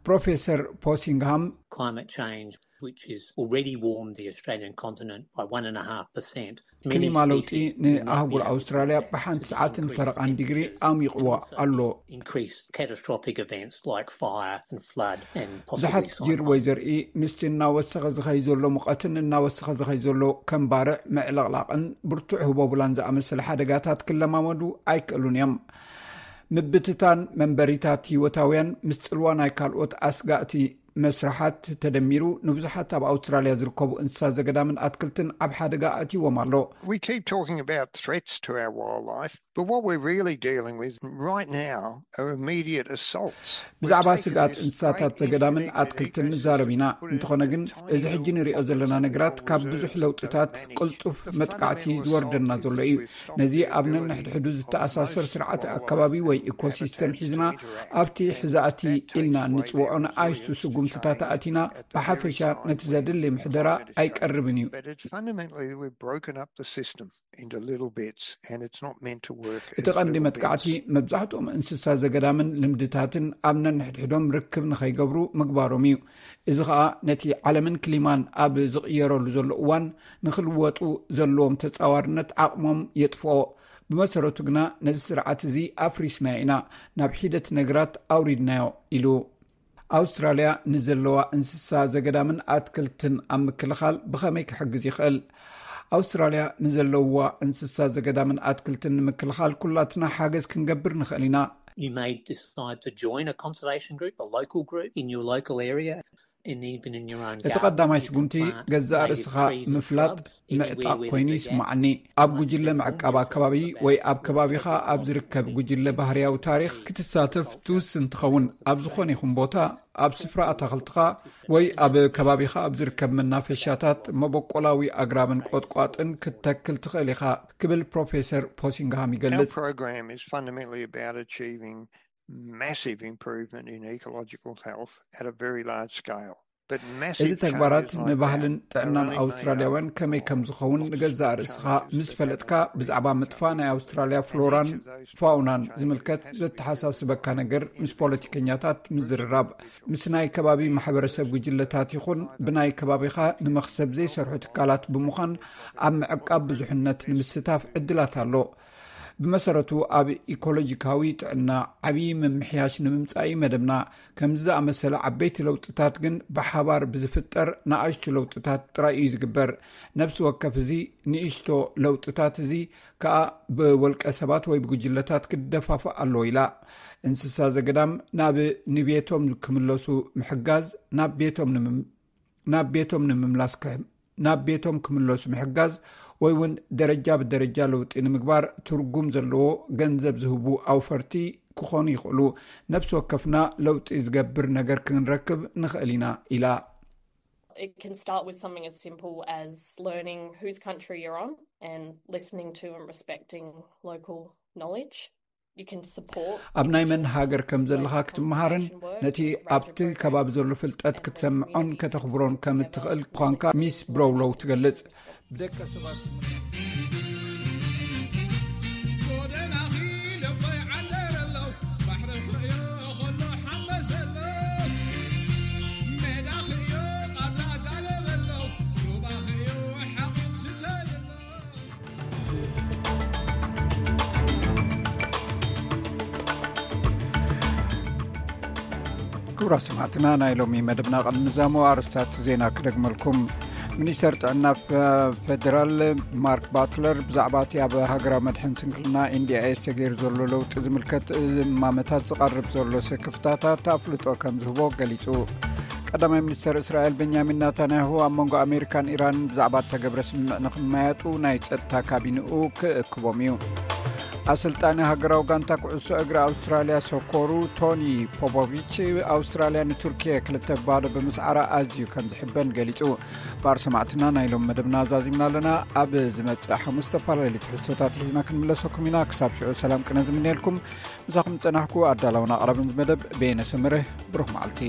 ፕሮፌሰር ፖሲንግሃም Climate change, which is already warmed the Australian continent by one and a half percent. ክሊማ ለውጢ ንኣህጉር ኣውስትራልያ ብሓንቲ ሰዓትን ፈረቓን ዲግሪ ኣሚቕዋ ኣሎ። Increased catastrophic events like fire and flood and ብዙሓት possibly ጅር ወይ ዘርኢ ምስቲ እናወሰኸ ዝኸይ ዘሎ ሙቐትን እናወሰኸ ዝኸይ ዘሎ ከም ባርዕ ምዕልቕላቕን ብርቱዕ ህቦብላን ዝኣመሰለ ሓደጋታት ክለማመዱ ኣይክእሉን እዮም። ምብትታን መንበሪታት ህይወታውያን ምስ ጽልዋ ናይ ካልኦት ኣስጋእቲ መስርሓት ተደሚሩ ንብዙሓት ኣብ ኣውስትራልያ ዝርከቡ እንስሳ ዘገዳምን ኣትክልትን ኣብ ሓደጋ ኣእትይዎም ኣሎ። We keep talking about threats to our wildlife, but what we're really dealing with right now are immediate assaults. ብዛዕባ ስግኣት እንስሳታት ዘገዳምን ኣትክልትን ንዛረብ ኢና። እንተኾነ ግን እዚ ሕጂ ንሪኦ ዘለና ነገራት ካብ ብዙሕ ለውጥታት ቅልጡፍ መጥቃዕቲ ዝወርደና ዘሎ እዩ። ነዚ ኣብ ነንሕድሕዱ ዝተኣሳሰር ስርዓት ኣከባቢ ወይ ኢኮሲስተም ሒዝና ኣብቲ ሕዛእቲ ኢልና እንጽውዖ ንኣሽቱ ስጉምትታት ኣእቲና ብሓፈሻ ነቲ ዘድሊ ምሕደራ ኣይቀርብን እዩ። But it's fundamentally we've broken up the system into little bits and it's not meant to work. እቲ ቀንዲ መጥቃዕቲ መብዛሕትኦም እንስሳ ዘገዳምን ልምድታትን ኣብ ነንሕድሕዶም ርክብ ንኸይገብሩ ምግባሮም እዩ። እዚ ኸኣ ነቲ ዓለምን ክሊማን ኣብ ዝቕየረሉ ዘሎ እዋን ንኽልወጡ ዘለዎም ተጻዋርነት ዓቕሞም የጥፍኦ። ብመሰረቱ ግና ነዚ ስርዓት እዚ ኣፍሪስናዮ ኢና፣ ናብ ሒደት ነገራት ኣውሪድናዮ ኢሉ። ኣውስትራልያ ንዘለዋ እንስሳ ዘገዳምን ኣትክልትን ኣብ ምክልኻል ብኸመይ ክሕግዝ ይኽእል? ኣውስትራልያ ንዘለዋ እንስሳ ዘገዳምን ኣትክልትን ንምክልኻል ኩላትና ሓገዝ ክንገብር ንኽእል ኢና። You may decide to join a conservation group, a local group in your local area, and even in your own እቲ ቀዳማይ ስጉምቲ ገዛእ ርእስኻ ምፍላጥ ምዕጣቕ ኮይኑ ይስማዓኒ። ኣብ ጉጅለ ምዕቃብ ኣከባቢ ወይ ኣብ ከባቢኻ ኣብ ዝርከብ ጉጅለ ባህርያዊ ታሪኽ ክትሳተፍ ትውስን ትኸውን። ኣብ ዝኾነ ይኹን ቦታ ኣብ ስፍራ ኣታኽልትኻ ወይ ኣብ ከባቢኻ ኣብ ዝርከብ መናፈሻታት መበቆላዊ ኣግራብን ቆጥቋጥን ክትተክል ትኽእል ኢኻ ክብል ፕሮፌሰር ፖሲንግሃም ይገልጽ። Our program is fundamentally about achieving massive improvement in ecological health at a very large scale. እዚ ተግባራት ንባህልን ጥዕናን ኣውስትራልያውያን ከመይ ከም ዝኸውን ንገዛእ ርእስኻ ምስ ፈለጥካ፣ ብዛዕባ ምጥፋእ ናይ ኣውስትራልያ ፍሎራን ፋውናን ዝምልከት ዘተሓሳስበካ ነገር ምስ ፖለቲከኛታት ምዝርራብ፣ ምስ ናይ ከባቢ ማሕበረሰብ ጉጅለታት ይኹን ብናይ ከባቢኻ ንመኽሰብ ዘይሰርሑ ትካላት ብምዃን ኣብ ምዕቃብ ብዙሕነት ንምስታፍ ዕድላት ኣሎ። ብመሰረቱ ኣብ ኢኮሎጂካዊ ጥዕና ዓብዪ ምምሕያሽ ንምምጻእ እዩ መደብና። ከምዚ ዝኣመሰለ ዓበይቲ ለውጥታት ግን ብሓባር ብዝፍጠር ንኣሽቱ ለውጥታት ጥራይ እዩ ዝግበር። ነፍሲ ወከፍ እዚ ንእሽቶ ለውጥታት እዚ ከኣ ብወልቀ ሰባት ወይ ብጉጅለታት ክደፋፋእ ኣለዎ ኢላ። እንስሳ ዘገዳም ናብ ንቤቶም ክምለሱ ምሕጋዝ፣ ናብ ቤቶም ንምም- ናብ ቤቶም ንምምላስ ክሕ- ናብ ቤቶም ክምለሱ ምሕጋዝ ወይ እውን ደረጃ ብደረጃ ለውጢ ንምግባር ትርጉም ዘለዎ ገንዘብ ዝህቡ ኣውፈርቲ ክኾኑ ይኽእሉ። ነፍሲ ወከፍና ለውጢ ዝገብር ነገር ክንረክብ ንኽእል ኢና ኢላ። It can start with something as simple as learning whose country you're on and listening to and respecting local knowledge. You can support ኣብ ናይ መን ሃገር ከም ዘለኻ ክትመሃርን ነቲ ኣብቲ ከባቢ ዘሎ ፍልጠት ክትሰምዖን ከተኽብሮን ከም እትኽእል ኳንካ ሚስ ብሮውሎው ትገልጽ። ብደቀ ሰባት ክቡራት ሰማዕትና፣ ናይ ሎሚ መደብና ቅድሚ ምዛሙ ኣርስታት ዜና ክደግመልኩም። ሚኒስተር ጥዕና ፈደራል ማርክ ባትለር ብዛዕባ እቲ ኣብ ሃገራዊ መድሕን ስንክልና ኤንዲኣይኤስ ተገይሩ ዘሎ ለውጢ ዝምልከት እማመታት ዝቐርብ ዘሎ ስክፍታታት ኣፍልጦ ከም ዝህቦ ገሊጹ። ቀዳማይ ሚኒስተር እስራኤል ቤንያሚን ናታንያሁ ኣብ መንጎ ኣሜሪካን ኢራንን ብዛዕባ እተገብረ ስምምዕ ንኽመያጡ ናይ ጸጥታ ካቢንኡ ክእክቦም እዩ። ኣሰልጣኒ ሃገራዊ ጋንታ ኩዕሶ እግሪ ኣውስትራልያ ሰኮሩ ቶኒ ፖፖቪች ኣውስትራልያ ንቱርኪየ ክልተ ባዶ ብምስዓራ ኣዝዩ ከም ዝሕበን ገሊጹ። ባር ሰማዕትና ናይ ሎም መደብና ኣዛዚምና ኣለና። ኣብ ዝመጽእ ሓሙስ ዝተፈላለዩ ትሕዝቶታት ሒዝና ክንምለሰኩም ኢና። ክሳብ ሽዑ ሰላም ቅነ ዝምንየልኩም። ምሳኹም ዝጸናሕኩ ኣዳላውን ኣቕራብን ዝመደብ በየነ ሰመረ። ብሩኽ መዓልቲ።